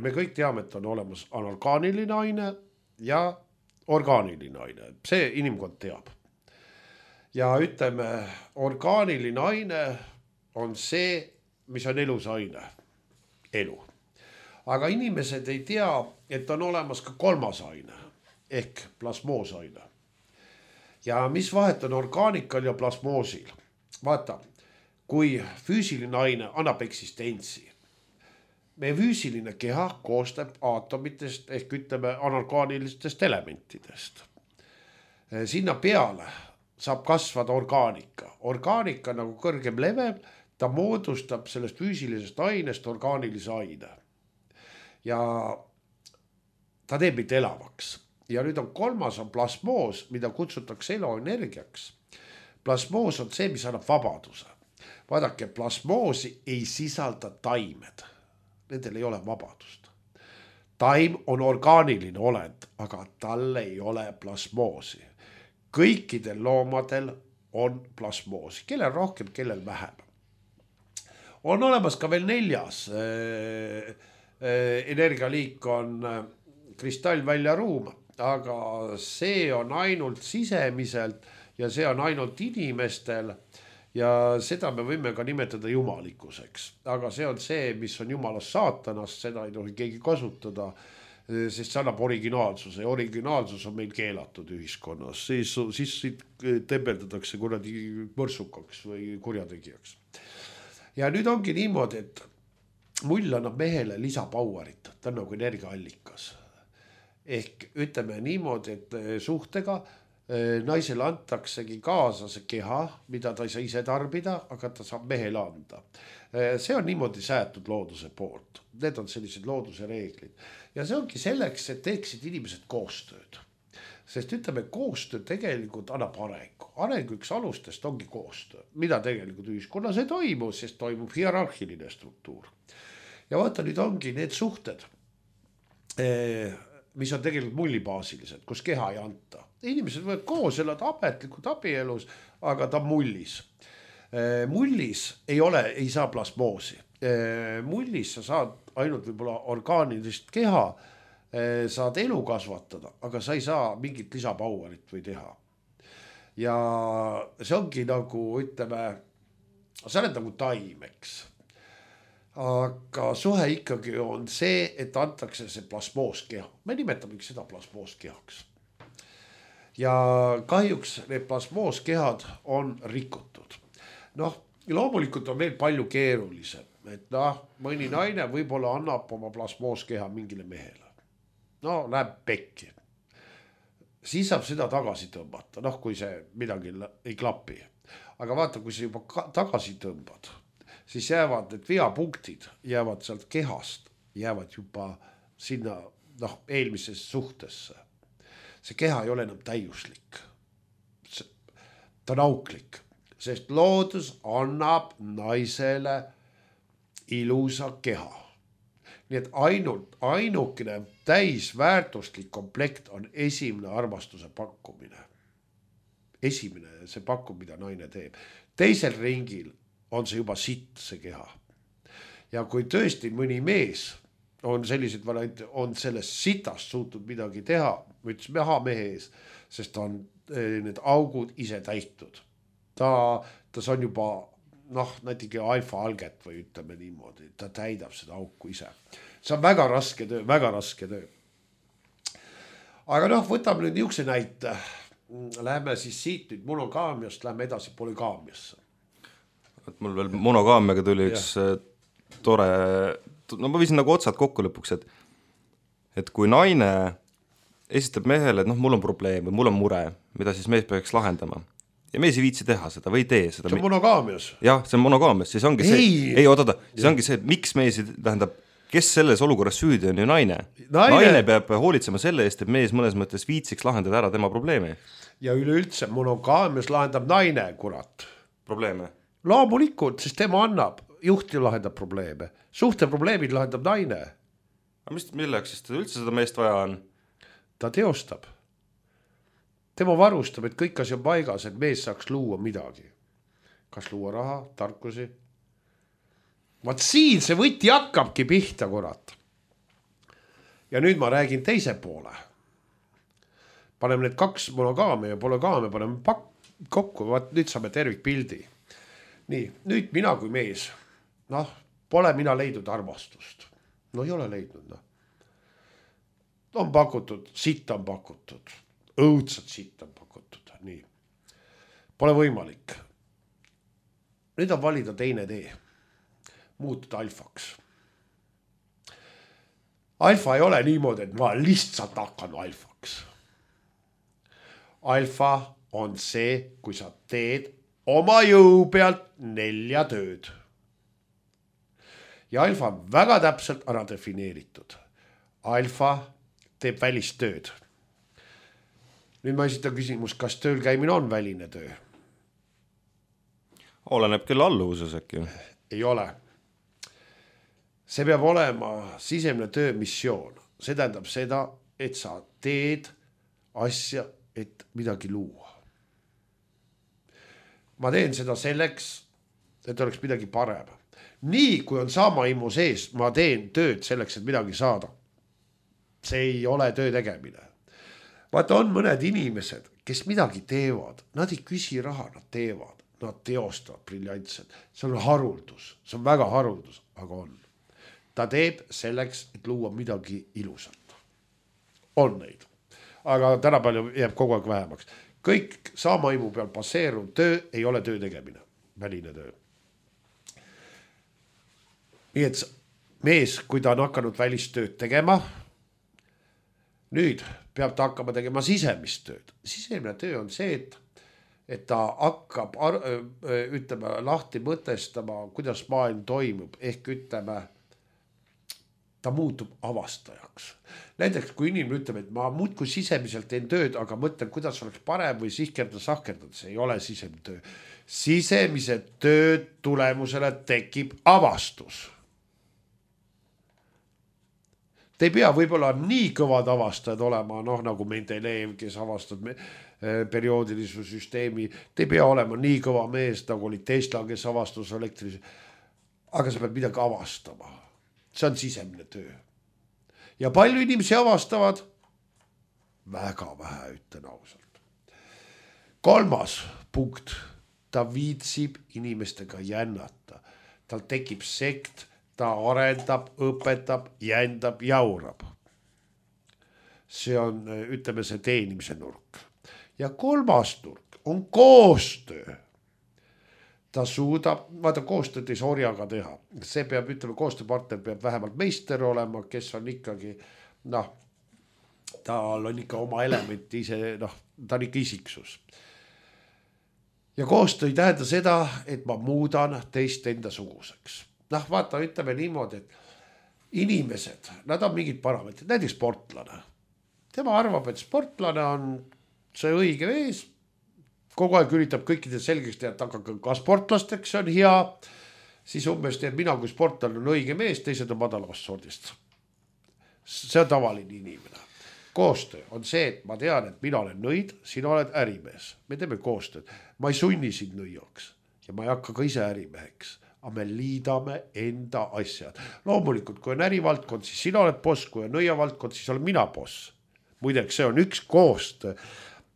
Me kõik teame, et on olemas anorgaaniline aine ja orgaaniline aine. See inimkond teab. Ja ütleme, orgaaniline aine on see, mis on elus aine. Elu. aga inimesed ei tea, et on olemas ka kolmas aine ehk plasmoosaine. Ja mis vahet on orgaanikal ja plasmoosil? Vaata, kui füüsiline aine annab eksistentsi, meie füüsiline keha koostab aatomitest ehk ütleme anorgaanilistest elementidest. Sinna peale saab kasvada orgaanika. Orgaanika nagu kõrgem level, ta moodustab sellest füüsilisest ainest orgaanilise aine. Ja ta teeb meid elavaks. Ja nüüd on kolmas on plasmoos, mida kutsutakse eluenergiaks. Plasmoos on see, mis annab vabaduse. Vaadake, plasmoosi ei sisalda taimed. Nendel ei ole vabadust. Taim on orgaaniline olend, aga tal ei ole plasmoosi. Kõikidel loomadel on plasmoosi, kellel rohkem, kellel vähem. On olemas ka veel neljas äh, äh, energialiik on äh, kristallväljaruum, aga see on ainult sisemiselt ja see on ainult inimestel ja seda me võime ka nimetada jumalikkuseks. Aga see on see, mis on jumalast saatanast, seda ei tohi keegi kasutada, sest see annab originaalsuse ja originaalsus on meil keelatud ühiskonnas. Siis, siis tembeldatakse kuradi mõrsukaks või kurjategijaks. Ja nüüd ongi niimoodi, et mull annab mehele lisapauerit, ta on nagu energiaallikas. Ehk ütleme niimoodi, et suhtega naisele antaksegi kaasa see keha, mida ta ei saa ise tarbida, aga ta saab mehele anda. See on niimoodi säätud looduse poolt. Need on sellised looduse reeglid. Ja see ongi selleks, et teeksid inimesed koostööd. Sest ütleme, koostöö tegelikult annab arengu. Arengu üks alustest ongi koostöö, mida tegelikult ühiskonnas ei toimu, sest toimub hierarhiline struktuur. Ja vaata, nüüd ongi need suhted, mis on tegelikult mullibaasilised, kus keha ei anta. Inimesed võivad koos elada ametlikult abielus, aga ta mullis. Mullis ei ole, ei saa plasmoosi. Mullis sa saad ainult võib-olla orgaanilist keha, saad elu kasvatada, aga sa ei saa mingit lisapauerit või teha. Ja see ongi nagu, ütleme, sa oled nagu taimeks. Aga suhe ikkagi on see, et antakse see plasmooskeha. Me nimetame seda plasmooskehaks. Ja kahjuks need plasmooskehad on rikutud. Noh, loomulikult on veel palju keerulisem, et noh, mõni naine võib-olla annab oma plasmooskeha mingile mehele. No, läheb pekki. Siis saab seda tagasi tõmbata, noh, kui see midagi ei klapi. Aga vaata, kui see juba tagasi tõmbad, siis jäävad need veapunktid, jäävad sealt kehast, jäävad juba sinna noh, eelmisesse suhtesse. See keha ei ole enam täiuslik. Ta on auklik, sest loodus annab naisele ilusa keha. Nii et ainult, ainukene täisväärtuslik komplekt on esimene armastuse pakkumine. Esimene see pakkum, mida naine teeb. Teisel ringil on see juba sitt, see keha. Ja kui tõesti mõni mees on sellised variante, on sellest sitast suutnud midagi teha, me ütlesime aha mehe ees, sest ta on need augud ise täitud. Ta, ta on juba, noh, näitegi alfa-alget või ütleme niimoodi, ta täidab seda auku ise. See on väga raske töö, väga raske töö. Aga noh, võtame nüüd niisuguse näite. Läheme siis siit nüüd monogaamiast, läheme edasi polygaamiasse. Et mul veel monogaamiaga tuli üks ja. tore... No ma viisin nagu otsad kokku lõpuks, et, et kui naine esitab mehele, et noh, mul on probleem või mul on mure, mida siis mees peaks lahendama. Ja mees ei viitsi teha seda või ei tee seda. See on monogaamias. Jah, see on monogaamias. Siis ongi ei. see, ei oota, siis ongi see, et miks mees, tähendab, kes selles olukorras süüdi on ju naine. naine. Naine peab hoolitsema selle eest, et mees mõnes mõttes viitsiks lahendada ära tema probleemi. Ja üleüldse monogaamias lahendab naine, kurat. Probleeme? Loomulikult, sest tema annab. Juhti lahendab probleeme. Suhte probleemid lahendab naine. Aga mis, milleks siis üldse seda meest vaja on? Ta teostab. Tema varustab, et kõik asi on paigas, et mees saaks luua midagi. Kas luua raha, tarkusi? Vaat siin see võti hakkabki pihta, kurat. Ja nüüd ma räägin teise poole. Paneme need kaks monogaamia ja polygaamia, paneme pak- kokku, vaat nüüd saame tervikpildi. Nii, nüüd mina kui mees, noh, pole mina leidnud armastust. no ei ole leidnud, noh. On pakutud, sitt on pakutud, õudselt sitt on pakutud, nii. Pole võimalik. Nüüd on valida teine tee. Muutuda alfaks. Alfa ei ole niimoodi, et ma lihtsalt hakkan alfaks. Alfa on see, kui sa teed oma jõu pealt nelja tööd. Ja alfa on väga täpselt ära defineeritud. Alfa teeb välist tööd. Nüüd ma esitan küsimus, kas tööl käimine on väline töö? Oleneb küll alluvuses äkki. Ei ole. See peab olema sisemine töömissioon. See tähendab seda, et sa teed asja, et midagi luua. Ma teen seda selleks, et oleks midagi parem. Nii, kui on sama imu sees, ma teen tööd selleks, et midagi saada. See ei ole töö tegemine. Vaata, on mõned inimesed, kes midagi teevad. Nad ei küsi raha, nad teevad. Nad teostavad briljantselt. See on haruldus. See on väga haruldus, aga on. Ta teeb selleks, et luua midagi ilusat. On neid. Aga täna palju jääb kogu aeg vähemaks. Kõik sama imu peal passeeruv töö ei ole töö tegemine. Väline töö. Nii et mees, kui ta on hakanud välistööd tegema, nüüd peab ta hakkama tegema sisemist tööd. Sisemine töö on see, et et ta hakkab, ütleme, lahti mõtestama, kuidas maailm toimub, ehk ütleme, ta muutub avastajaks. Näiteks, kui inimene ütleb, et ma muudkui sisemiselt teen tööd, aga mõtlen, kuidas oleks parem või sihkerda sahkerdada, see ei ole sisemine töö. Sisemise töö tulemusele tekib avastus. Te ei pea võib-olla nii kõvad avastajad olema, noh nagu Mendeleev, kes avastab me, perioodilisuse süsteemi. Te ei pea olema nii kõva mees, nagu oli Tesla, kes avastas elektris. Aga sa pead midagi avastama. See on sisemine töö. Ja palju inimesi avastavad? Väga vähe, ütlen ausalt. Kolmas punkt. Ta viitsib inimestega jännata. Tal tekib sekt, ta arendab, õpetab, jändab, jaurab. See on, ütleme, see teenimise nurk. Ja kolmas nurk on koostöö. Ta suudab, vaata koostööd ei saa orjaga teha. See peab, ütleme, koostööpartner peab vähemalt meister olema, kes on ikkagi, noh, tal on ikka oma element ise, noh, ta on ikka isiksus. Ja koostöö ei tähenda seda, et ma muudan teist enda suguseks. Noh, vaata, ütleme niimoodi, et inimesed, nad on mingid parametrid, näiteks sportlane. Tema arvab, et sportlane on see õige mees, kogu aeg üritab kõikide selgeks teha, et aga ka sportlasteks on hea, siis umbes teeb mina kui sportlane on õige mees, teised on madalavast sordist. See on tavaline inimene. Koostöö on see, et ma tean, et mina olen nõid, sina oled ärimees. Me teeme koostööd. Ma ei sunni sind nõiaks ja ma ei hakka ka ise ärimeheks, aga me liidame enda asjad. Loomulikult, kui on ärivaldkond, siis sina oled boss, kui on nõiavaldkond, siis olen mina boss. Muideks, see on üks koostöö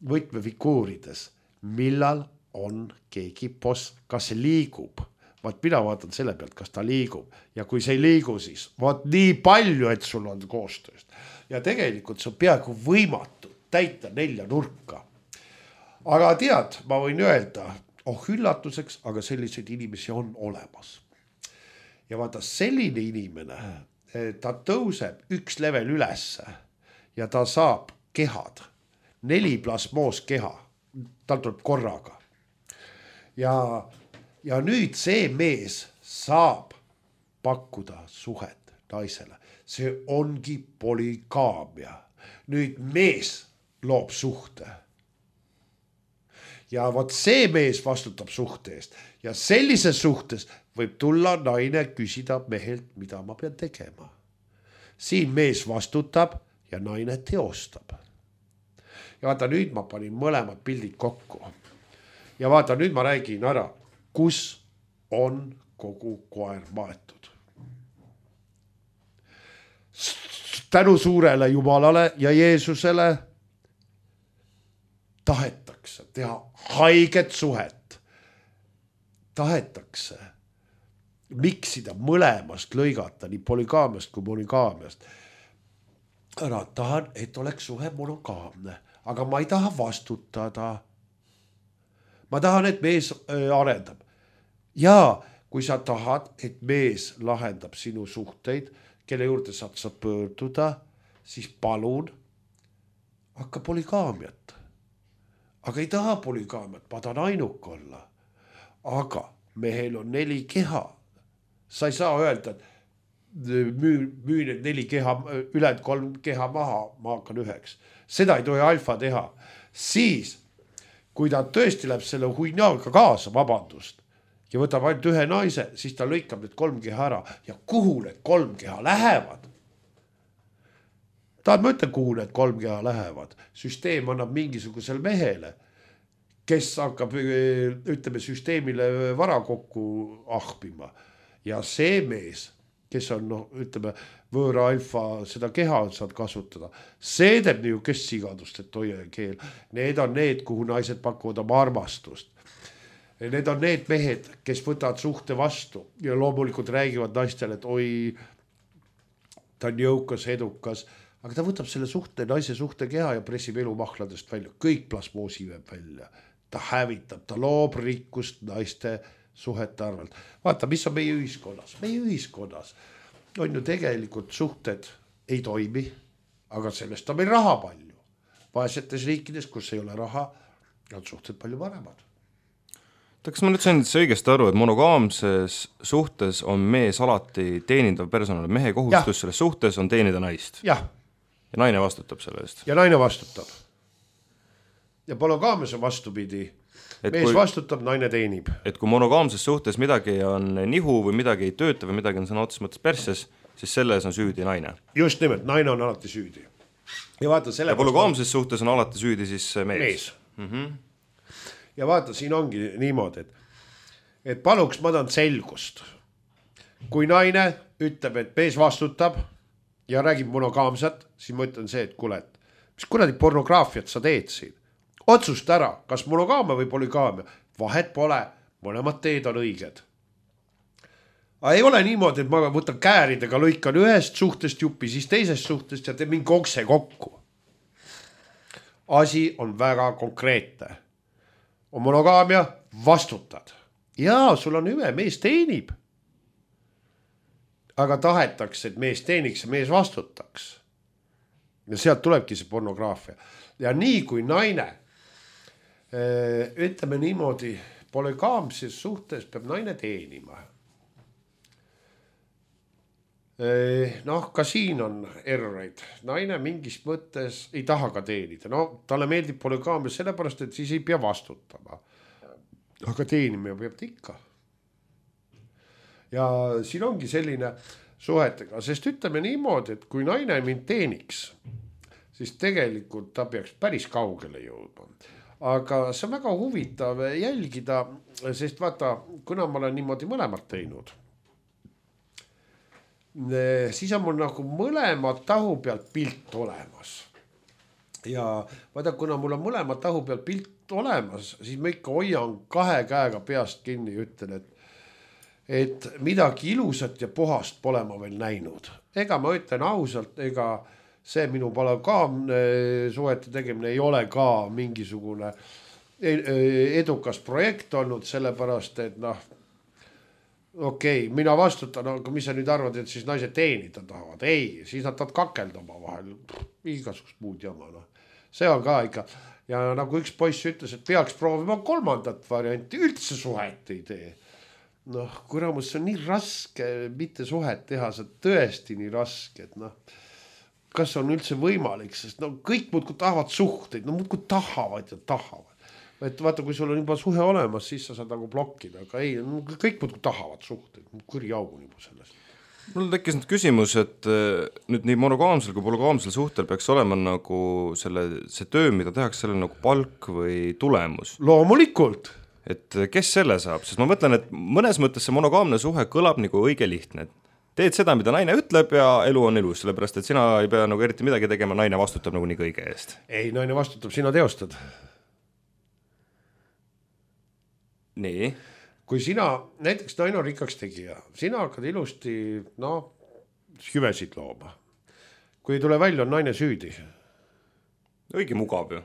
võtmefiguurides, millal on keegi boss, kas see liigub. Vaat mina vaatan selle pealt, kas ta liigub. Ja kui see ei liigu, siis vaat nii palju, et sul on koostööst. Ja tegelikult see on peaaegu võimatu täita nelja nurka. Aga tead, ma võin öelda, oh üllatuseks, aga selliseid inimesi on olemas. Ja vaata, selline inimene, ta tõuseb üks level ülesse ja ta saab kehad. Neli plasmoos keha, tal tuleb korraga. Ja, ja nüüd see mees saab pakkuda suhet naisele. See ongi polügaamia. Nüüd mees loob suhte. Ja vot see mees vastutab suhte eest. Ja sellises suhtes võib tulla naine küsida mehelt, mida ma pean tegema. Siin mees vastutab ja naine teostab. Ja vaata, nüüd ma panin mõlemad pildid kokku. Ja vaata, nüüd ma räägin ära, kus on kogu koer maetud. Tänu suurele Jumalale ja Jeesusele tahetakse teha haiget suhet. Tahetakse miksida mõlemast lõigata, nii polygaamiast kui monogaamiast. Ära tahan, et oleks suhe monogaamne, aga ma ei taha vastutada. Ma tahan, et mees arendab. Ja kui sa tahad, et mees lahendab sinu suhteid, kelle juurde saad sa pöörduda, siis palun hakka polygaamiat. Aga ei taha polygaamiat, ma tahan ainuk olla. Aga mehel on neli keha. Sa ei saa öelda, et müü, müü need neli keha, üled kolm keha maha, ma hakkan üheks. Seda ei tohi alfa teha. Siis, kui ta tõesti läheb selle huinaaga kaasa, vabandust, ja võtab ainult ühe naise, siis ta lõikab need kolm keha ära. Ja kuhu need kolm keha lähevad? Tahad ma ütlen, kuhu need kolm keha lähevad? Süsteem annab mingisugusel mehele, kes hakkab, ütleme, süsteemile vara kokku ahpima. Ja see mees, kes on, no, ütleme, võõra alfa, seda keha saad kasutada. See teeb nii, kes sigadust, et hoia keel. Need on need, kuhu naised pakuvad oma armastust. Need on need mehed, kes võtavad suhte vastu ja loomulikult räägivad naistele, et oi, ta on jõukas, edukas, aga ta võtab selle suhte, naise suhte keha ja pressib elu mahladest välja. Kõik plasmoosi veeb välja. Ta hävitab, ta loob rikkust naiste suhete arvelt. Vaata, mis on meie ühiskonnas. Meie ühiskonnas on ju tegelikult suhted ei toimi, aga sellest on meil raha palju. Vaesetes riikides, kus ei ole raha, on suhted palju paremad. Kas ma nüüd sain õigesti aru, et monogaamses suhtes on mees alati teenindav personal, mehe kohustus ja. Selles suhtes on teenida naist? Jah. Ja naine vastutab selle eest? Ja naine vastutab. Ja monogaamias on vastupidi. Et mees kui, vastutab, naine teenib. Et kui monogaamses suhtes midagi on nihu või midagi ei tööta või midagi on sõna otses mõttes persses, siis selles on süüdi naine. Just nimelt, naine on alati süüdi. Ja vaata, selle ja monogaamses on... suhtes on alati süüdi siis mees. Mees. Mm-hmm. Ja vaata, siin ongi niimoodi, et, et paluks ma tahan selgust. Kui naine ütleb, et mees vastutab ja räägib monogaamsat, siis ma ütlen see, et kuule, mis kuradi pornograafiat sa teed siin? Otsust ära, kas monogaamia või polygaamia. Vahet pole, mõlemad teed on õiged. Aga ei ole niimoodi, et ma võtan kääridega, lõikan ühest suhtest jupi, siis teisest suhtest ja teen mingi okse kokku. Asi on väga konkreetne. On monogaamia, vastutad. Jaa, sul on hüve, mees teenib. Aga tahetakse, et mees teeniks ja mees vastutaks. Ja sealt tulebki see pornograafia. Ja nii kui naine ütleme niimoodi, polygaamses suhtes peab naine teenima. Noh, ka siin on erroreid. Naine mingis mõttes ei taha ka teenida. No, talle meeldib polygaamia sellepärast, et siis ei pea vastutama. Aga teenima peab ta ikka. Ja siin ongi selline suhetega, sest ütleme niimoodi, et kui naine mind teeniks, siis tegelikult ta peaks päris kaugele jõudma. Aga see on väga huvitav jälgida, sest vaata, kuna ma olen niimoodi mõlemad teinud, siis on mul nagu mõlemad tahu pealt pilt olemas. Ja vaata, kuna mul on mõlemad tahu pealt pilt olemas, siis ma ikka hoian kahe käega peast kinni ja ütlen, et, et midagi ilusat ja puhast pole ma veel näinud. Ega ma ütlen ausalt, ega see minu polygaamne suhete tegemine ei ole ka mingisugune edukas projekt olnud, sellepärast, et noh, okei, okay, mina vastutan, aga mis sa nüüd arvad, et siis naised teenida tahavad? Ei, siis nad tahavad kakelda oma vahel. Igasugust muud jama. No. See on ka ikka. Ja nagu üks poiss ütles, et peaks proovima kolmandat varianti, üldse suhet ei tee. Noh, kuramus, see on nii raske mitte suhet teha, see on tõesti nii raske, et noh, kas on üldse võimalik, sest no kõik muudkui tahavad suhteid, no muudkui tahavad ja tahavad. Et vaata, kui sul on juba suhe olemas, siis sa saad nagu blokkida, aga ei, no, kõik muudkui tahavad suhteid, kuri jaugu juba sellest. Mul tekkis nüüd küsimus, et nüüd nii monogaamsel kui polygaamsel suhtel peaks olema nagu selle, see töö, mida tehakse, selle nagu palk või tulemus. Loomulikult. Et kes selle saab, sest ma mõtlen, et mõnes mõttes see monogaamne suhe kõlab nagu õige lihtne, et teed seda, mida naine ütleb ja elu on ilus, sellepärast, et sina ei pea nagu eriti midagi tegema, naine vastutab nagu nii kõige eest. Ei, naine vastutab, sina teostad. Nii. kui sina, näiteks naine on rikkaks tegija, sina hakkad ilusti, no, hüvesid looma. Kui ei tule välja, on naine süüdi. Õige mugav ju.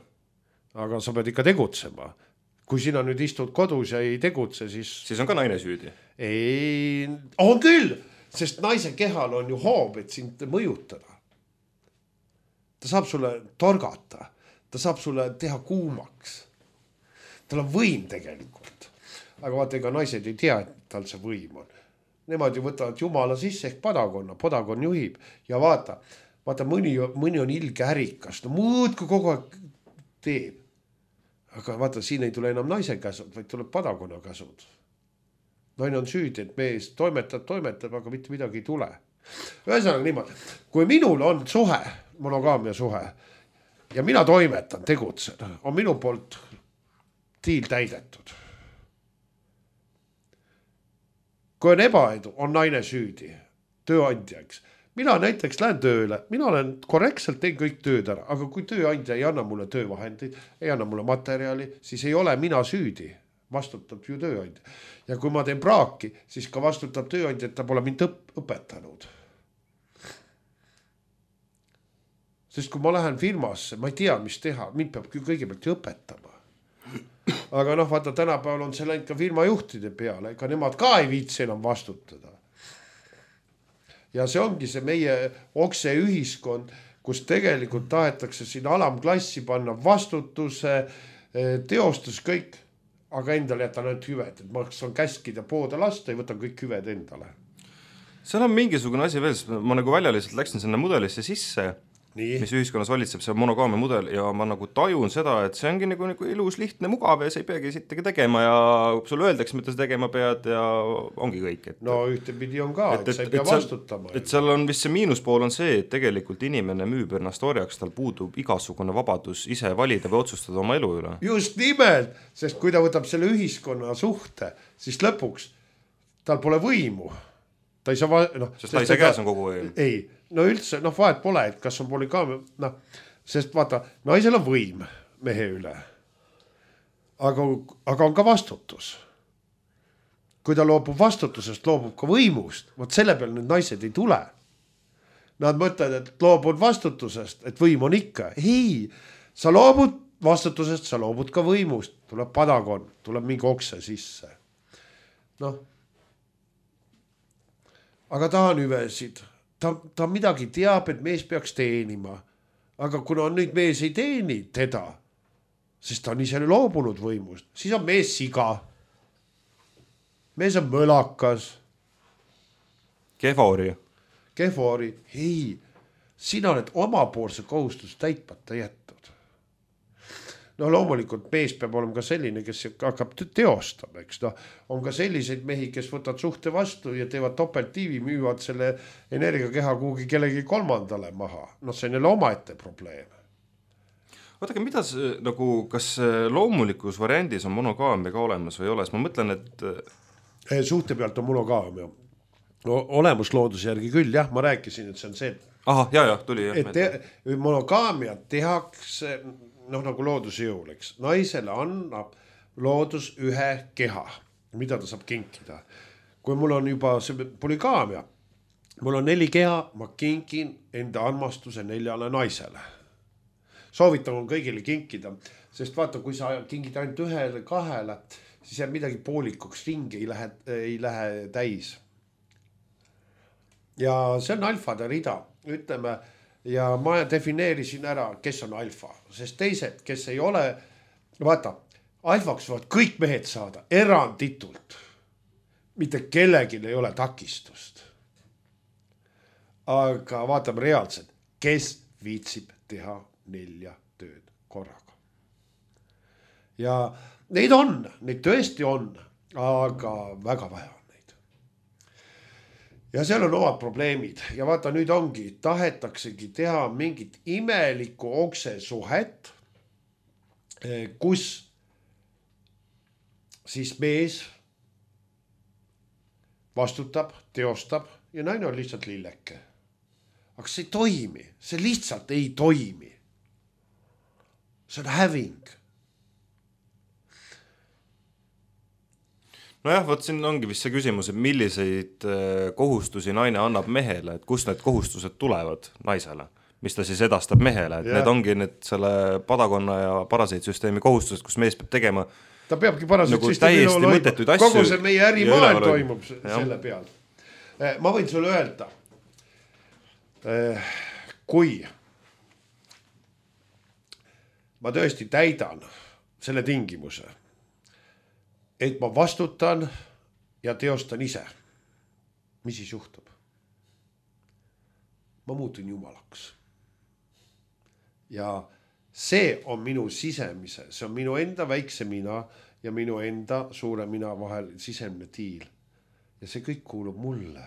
Aga sa pead ikka tegutsema. Kui sina nüüd istud kodus ja ei tegutse, siis... Siis on ka naine süüdi. Ei, on küll, sest naise kehal on ju hoob, et sind mõjutada. Ta saab sulle torgata, ta saab sulle teha kuumaks. Tal on võim tegelikult. Aga vaata, ega naised ei tea, et tal see võim on. Nemad ju võtavad jumala sisse ehk padakonna, padakon juhib ja vaata, vaata mõni, mõni on ilge ärikas, no muudku kogu aeg teeb. Aga vaata, siin ei tule enam naise käsud, vaid tuleb padakonna käsud. Naine on süüdi, et mees toimetab, toimetab, aga mitte midagi ei tule. Ühesõnaga niimoodi, kui minul on suhe, monogaamia suhe ja mina toimetan, tegutsen, on minu poolt tiil täidetud. Kui on ebaedu, on naine süüdi, tööandjaks. Mina näiteks lähen tööle, mina olen korrektselt teen kõik tööd ära, aga kui tööandja ei anna mulle töövahendeid, ei anna mulle materjali, siis ei ole mina süüdi, vastutab ju tööandja. Ja kui ma teen praaki, siis ka vastutab tööandja, et ta pole mind õp- õpetanud. Sest kui ma lähen firmasse, ma ei tea, mis teha, mind peab kõigepealt ju õpetama. Aga noh, vaata, tänapäeval on see läinud ka firmajuhtide peale, ega nemad ka ei viitsi enam vastutada. Ja see ongi see meie okse ühiskond, kus tegelikult tahetakse siin alamklassi panna vastutuse, teostus kõik, aga endale jätan ainult hüved, et ma saan käskida poode lasta ja võtan kõik hüved endale. Seal on mingisugune asi veel, ma nagu välja lihtsalt läksin sinna mudelisse sisse, Nii. mis ühiskonnas valitseb, see monogaamia mudel ja ma nagu tajun seda, et see ongi nagu, nagu ilus, lihtne, mugav ja sa ei peagi sittagi tegema ja sulle öeldakse, mida sa tegema pead ja ongi kõik. Et, no ühtepidi on ka, et, et, et sa ei pea et vastutama. Et seal on vist see miinuspool on see, et tegelikult inimene müüb ennast orjaks, tal puudub igasugune vabadus ise valida või otsustada oma elu üle. Just nimelt, sest kui ta võtab selle ühiskonna suhte, siis lõpuks tal pole võimu. Ta ei saa, va- no, sest ta ei saa käes on kogu võim. Ei, no üldse, noh vahet pole, et kas on polügaamia, noh, sest vaata, naisel on võim mehe üle, aga, aga on ka vastutus. Kui ta loobub vastutusest, loobub ka võimust, võt selle peal nüüd naised ei tule. Nad mõtlevad, et loobud vastutusest, et võim on ikka. Ei, sa loobud vastutusest, sa loobud ka võimust, tuleb padakon, tuleb mingi okse sisse. Noh, aga ta on hüvesid. Ta, ta midagi teab, et mees peaks teenima. Aga kuna nüüd mees ei teeni teda, sest ta on ise loobunud võimust, siis on mees siga. Mees on mõlakas. Kehvori. Kehvori. Ei, sina oled omapoolse kohustus täitmata jättud. No loomulikult mees peab olema ka selline, kes hakkab teostama, eks no. On ka selliseid mehi, kes võtavad suhte vastu ja teevad topelttiivi, müüvad selle energiakeha kuhugi kellegi kolmandale maha. No see on jälle omaette probleem. Vaadake, mida see, nagu, kas loomulikus variandis on monogaamia ka olemas või ei ole? Ma mõtlen, et... Suhte pealt on monogaamia. No, olemuslooduse järgi küll, jah, ma rääkisin, et see on see... Aha, jah, jah, tuli. Jah, et te, monogaamia tehakse... noh nagu looduse jõul, eks. Naisele annab loodus ühe keha, mida ta saab kinkida. Kui mul on juba see polygaamia, mul on neli keha, ma kinkin enda armastuse neljale naisele. Soovitan on kõigile kinkida, sest vaata, kui sa kinkid ainult ühele, kahele, siis jääb midagi poolikuks, ringi ei lähe, ei lähe täis. Ja see on alfade rida, ütleme, ja ma defineerisin ära, kes on alfa, sest teised, kes ei ole, vaata, alfaks võivad kõik mehed saada eranditult. Mitte kellelgi ei ole takistust. Aga vaatame reaalselt, kes viitsib teha nelja tööd korraga. Ja neid on, neid tõesti on, aga väga vähe. Ja seal on omad probleemid ja vaata nüüd ongi, tahetaksegi teha mingit imelikku okse suhet, kus siis mees vastutab, teostab ja naine on lihtsalt lilleke. Aga see ei toimi, see lihtsalt ei toimi. See on häving. nojah, võt siin ongi vist see küsimus, et milliseid kohustusi naine annab mehele, et kust need kohustused tulevad naisele, mis ta siis edastab mehele, et yeah. need ongi need selle padakonna ja parasiitsüsteemi kohustused, kus mees peab tegema ta peabki parasiitsüsteemi nagu täiesti mõttetuid asju. Kogu see meie ärimaailm toimub selle peal. Ma võin sulle öelda, kui ma tõesti täidan selle tingimuse, et ma vastutan ja teostan ise, mis siis juhtub? Ma muutun jumalaks. Ja see on minu sisemise, see on minu enda väikse mina ja minu enda suure mina vahel sisemine tiil. Ja see kõik kuulub mulle.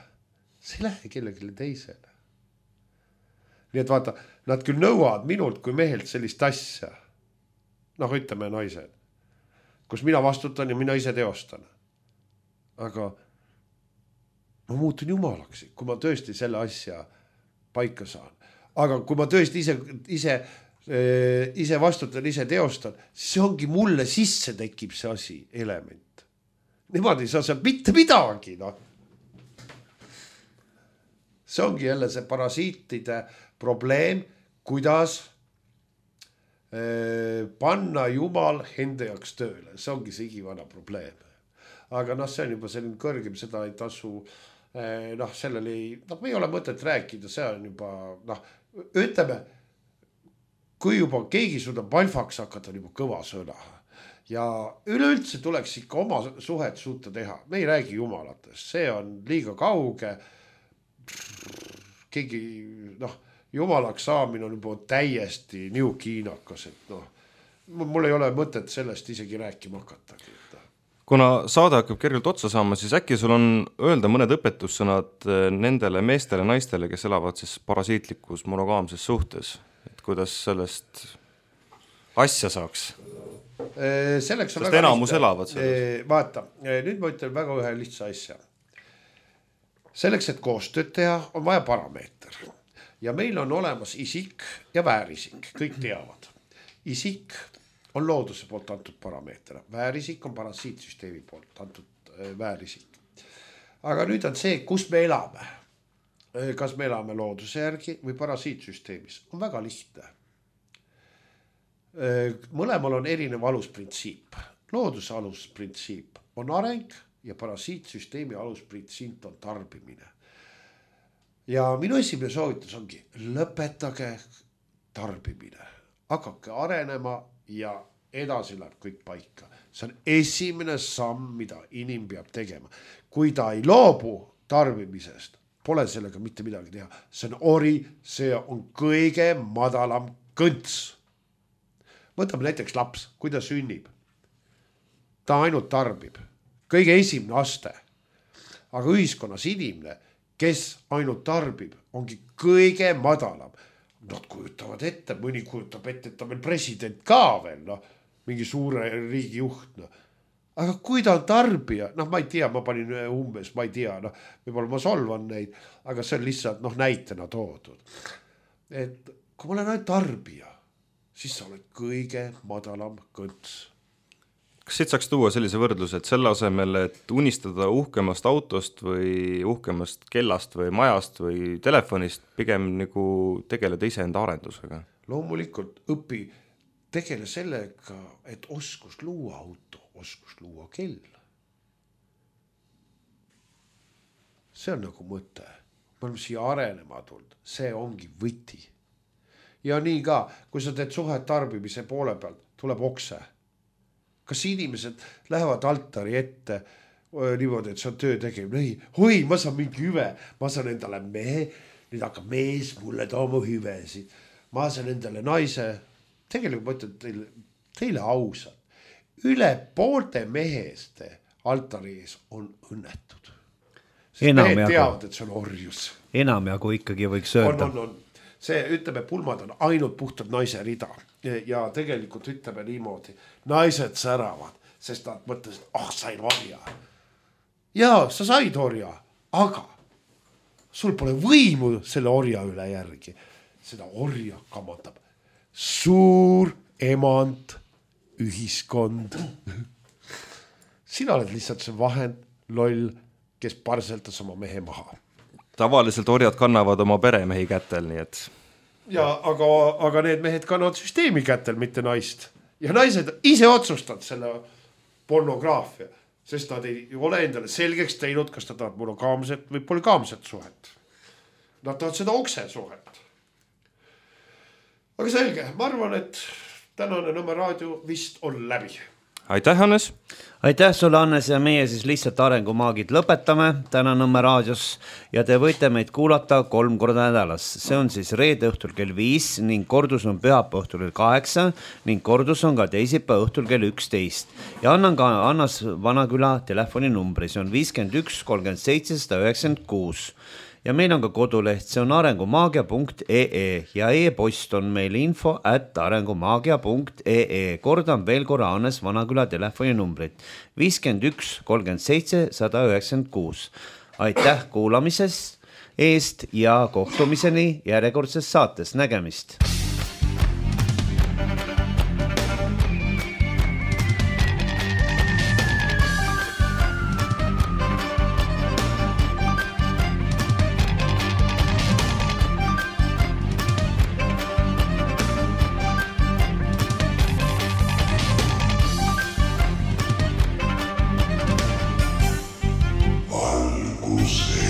See ei lähe kellelegi teisele. Nii et vaata, nad küll nõuavad minult kui mehelt sellist asja. Noh, ütleme naised, kus mina vastutan ja mina ise teostan. Aga ma muutun jumalaks, kui ma tõesti selle asja paika saan. Aga kui ma tõesti ise, ise, ise vastutan, ise teostan, see ongi mulle sisse tekib see asi, element. Niimoodi ei saa seal mitte midagi. No. See ongi jälle see parasiitide probleem, kuidas panna jumal enda jaoks tööle. See ongi see igivana probleem. Aga noh, see on juba selline kõrgem, seda ei tasu, noh, sellele ei, noh, me ei ole mõtet rääkida, see on juba, noh, ütleme, kui juba keegi suudab alfaks hakata, on juba kõva sõna. Ja üleüldse tuleks ikka oma suhet suuta teha. Me ei räägi jumalatest, see on liiga kauge. Keegi, noh, jumalaks saamine on juba täiesti niukiinakas, et noh, mul ei ole mõtet sellest isegi rääkima hakatagi. Kuna saade hakkab kergelt otsa saama, siis äkki sul on öelda mõned õpetussõnad nendele meestele, naistele, kes elavad siis parasiitlikus monogaamses suhtes, et kuidas sellest asja saaks? Selleks on Sest väga enamus elavad selles. Vaata, nüüd ma ütlen väga ühe lihtsa asja. Selleks, et koostööd teha, on vaja parameeter. Ja meil on olemas isik ja väärisik, kõik teavad. Isik on looduse poolt antud parameeter. Väärisik on parasiitsüsteemi poolt antud väärisik. Aga nüüd on see, kus me elame. Kas me elame looduse järgi või parasiitsüsteemis. On väga lihtne. Mõlemal on erinev alusprintsiip. Looduse alusprintsiip on areng ja parasiitsüsteemi alusprintsiip on tarbimine. Ja minu esimene soovitus ongi lõpetage tarbimine. Hakake arenema ja edasi läheb kõik paika. See on esimene samm, mida inim peab tegema. Kui ta ei loobu tarbimisest, pole sellega mitte midagi teha. See on ori, see on kõige madalam kõnts. Võtame näiteks laps, kui ta sünnib. Ta ainult tarbib. Kõige esimene aste. Aga ühiskonnas inimene, kes ainult tarbib, ongi kõige madalam. Nad kujutavad ette, mõni kujutab ette, et ta meil president ka veel, no, mingi suure riigi juht. No. Aga kui ta on tarbija, noh, ma ei tea, ma panin umbes, ma ei tea, noh, võib-olla ma solvan neid, aga see on lihtsalt noh, näitena toodud. Et kui ma olen ainult tarbija, siis sa oled kõige madalam kõnts. Kas siit saaks tuua sellise võrdluse, et selle asemel, et unistada uhkemast autost või uhkemast kellast või majast või telefonist, pigem nagu tegeleda iseenda arendusega? Loomulikult õpi tegele sellega, et oskus luua auto, oskus luua kell. See on nagu mõte. Me oleme siia arenema tulnud. See ongi võti. Ja nii ka, kui sa teed suhet tarbimise poole pealt, tuleb okse. Kas inimesed lähevad altari ette niimoodi, et see on töö tegema? Ei, oi, ma saan mingi hüve, ma saan endale mehe, nüüd hakkab mees mulle tooma hüvesid. Ma saan endale naise, tegelikult ma ütlen teile, teile ausalt. Üle poolte meheste altari ees on õnnetud. Sest mehed teavad, et see on orjus. Enam jagu ikkagi võiks öelda. On, on, on. See, ütleme, pulmad on ainult puhtad naise rida. Ja tegelikult ütleme niimoodi, naised säravad, sest nad mõtlesid, ah, sain orja. Jaa, sa said orja, aga sul pole võimu selle orja üle järgi. Seda orja kamotab suur emant ühiskond. sina oled lihtsalt see vahend, loll, kes parseltas oma mehe maha. Tavaliselt orjad kannavad oma peremehi kätel, nii et... Ja, aga, aga need mehed kannavad süsteemi kätel, mitte naist. Ja naised ise otsustavad selle pornograafia, sest nad ei ole endale selgeks teinud, kas ta tahab monogaamset või polygaamset suhet. Nad tahavad seda okse suhet. Aga selge, ma arvan, et tänane Nõmme raadio vist on läbi. Aitäh, Hannes! Aitäh sulle, Hannes, ja meie siis lihtsalt arengumaagid lõpetame täna Nõmme raadios ja te võite meid kuulata kolm korda nädalas. See on siis reede õhtul kell viis ning kordus on pühapäeva õhtul kell kaheksa ning kordus on ka teisipäeva õhtul kell üksteist. Ja annan ka Annas Vanaküla telefoninumbri, see on viiskümmend üks kolmkümmend seitse sada üheksakümmend kuus. Ja meil on ka koduleht, see on arengumaagia punkt ee ja e-post on meil info at arengumaagia punkt ee. Kordan veel korra Hannes Vanaküla telefoninumbrit viiskümmend üks kolmkümmend seitse sada üheksakümmend kuus. Aitäh kuulamises eest ja kohtumiseni järjekordses saates. Nägemist! Valgus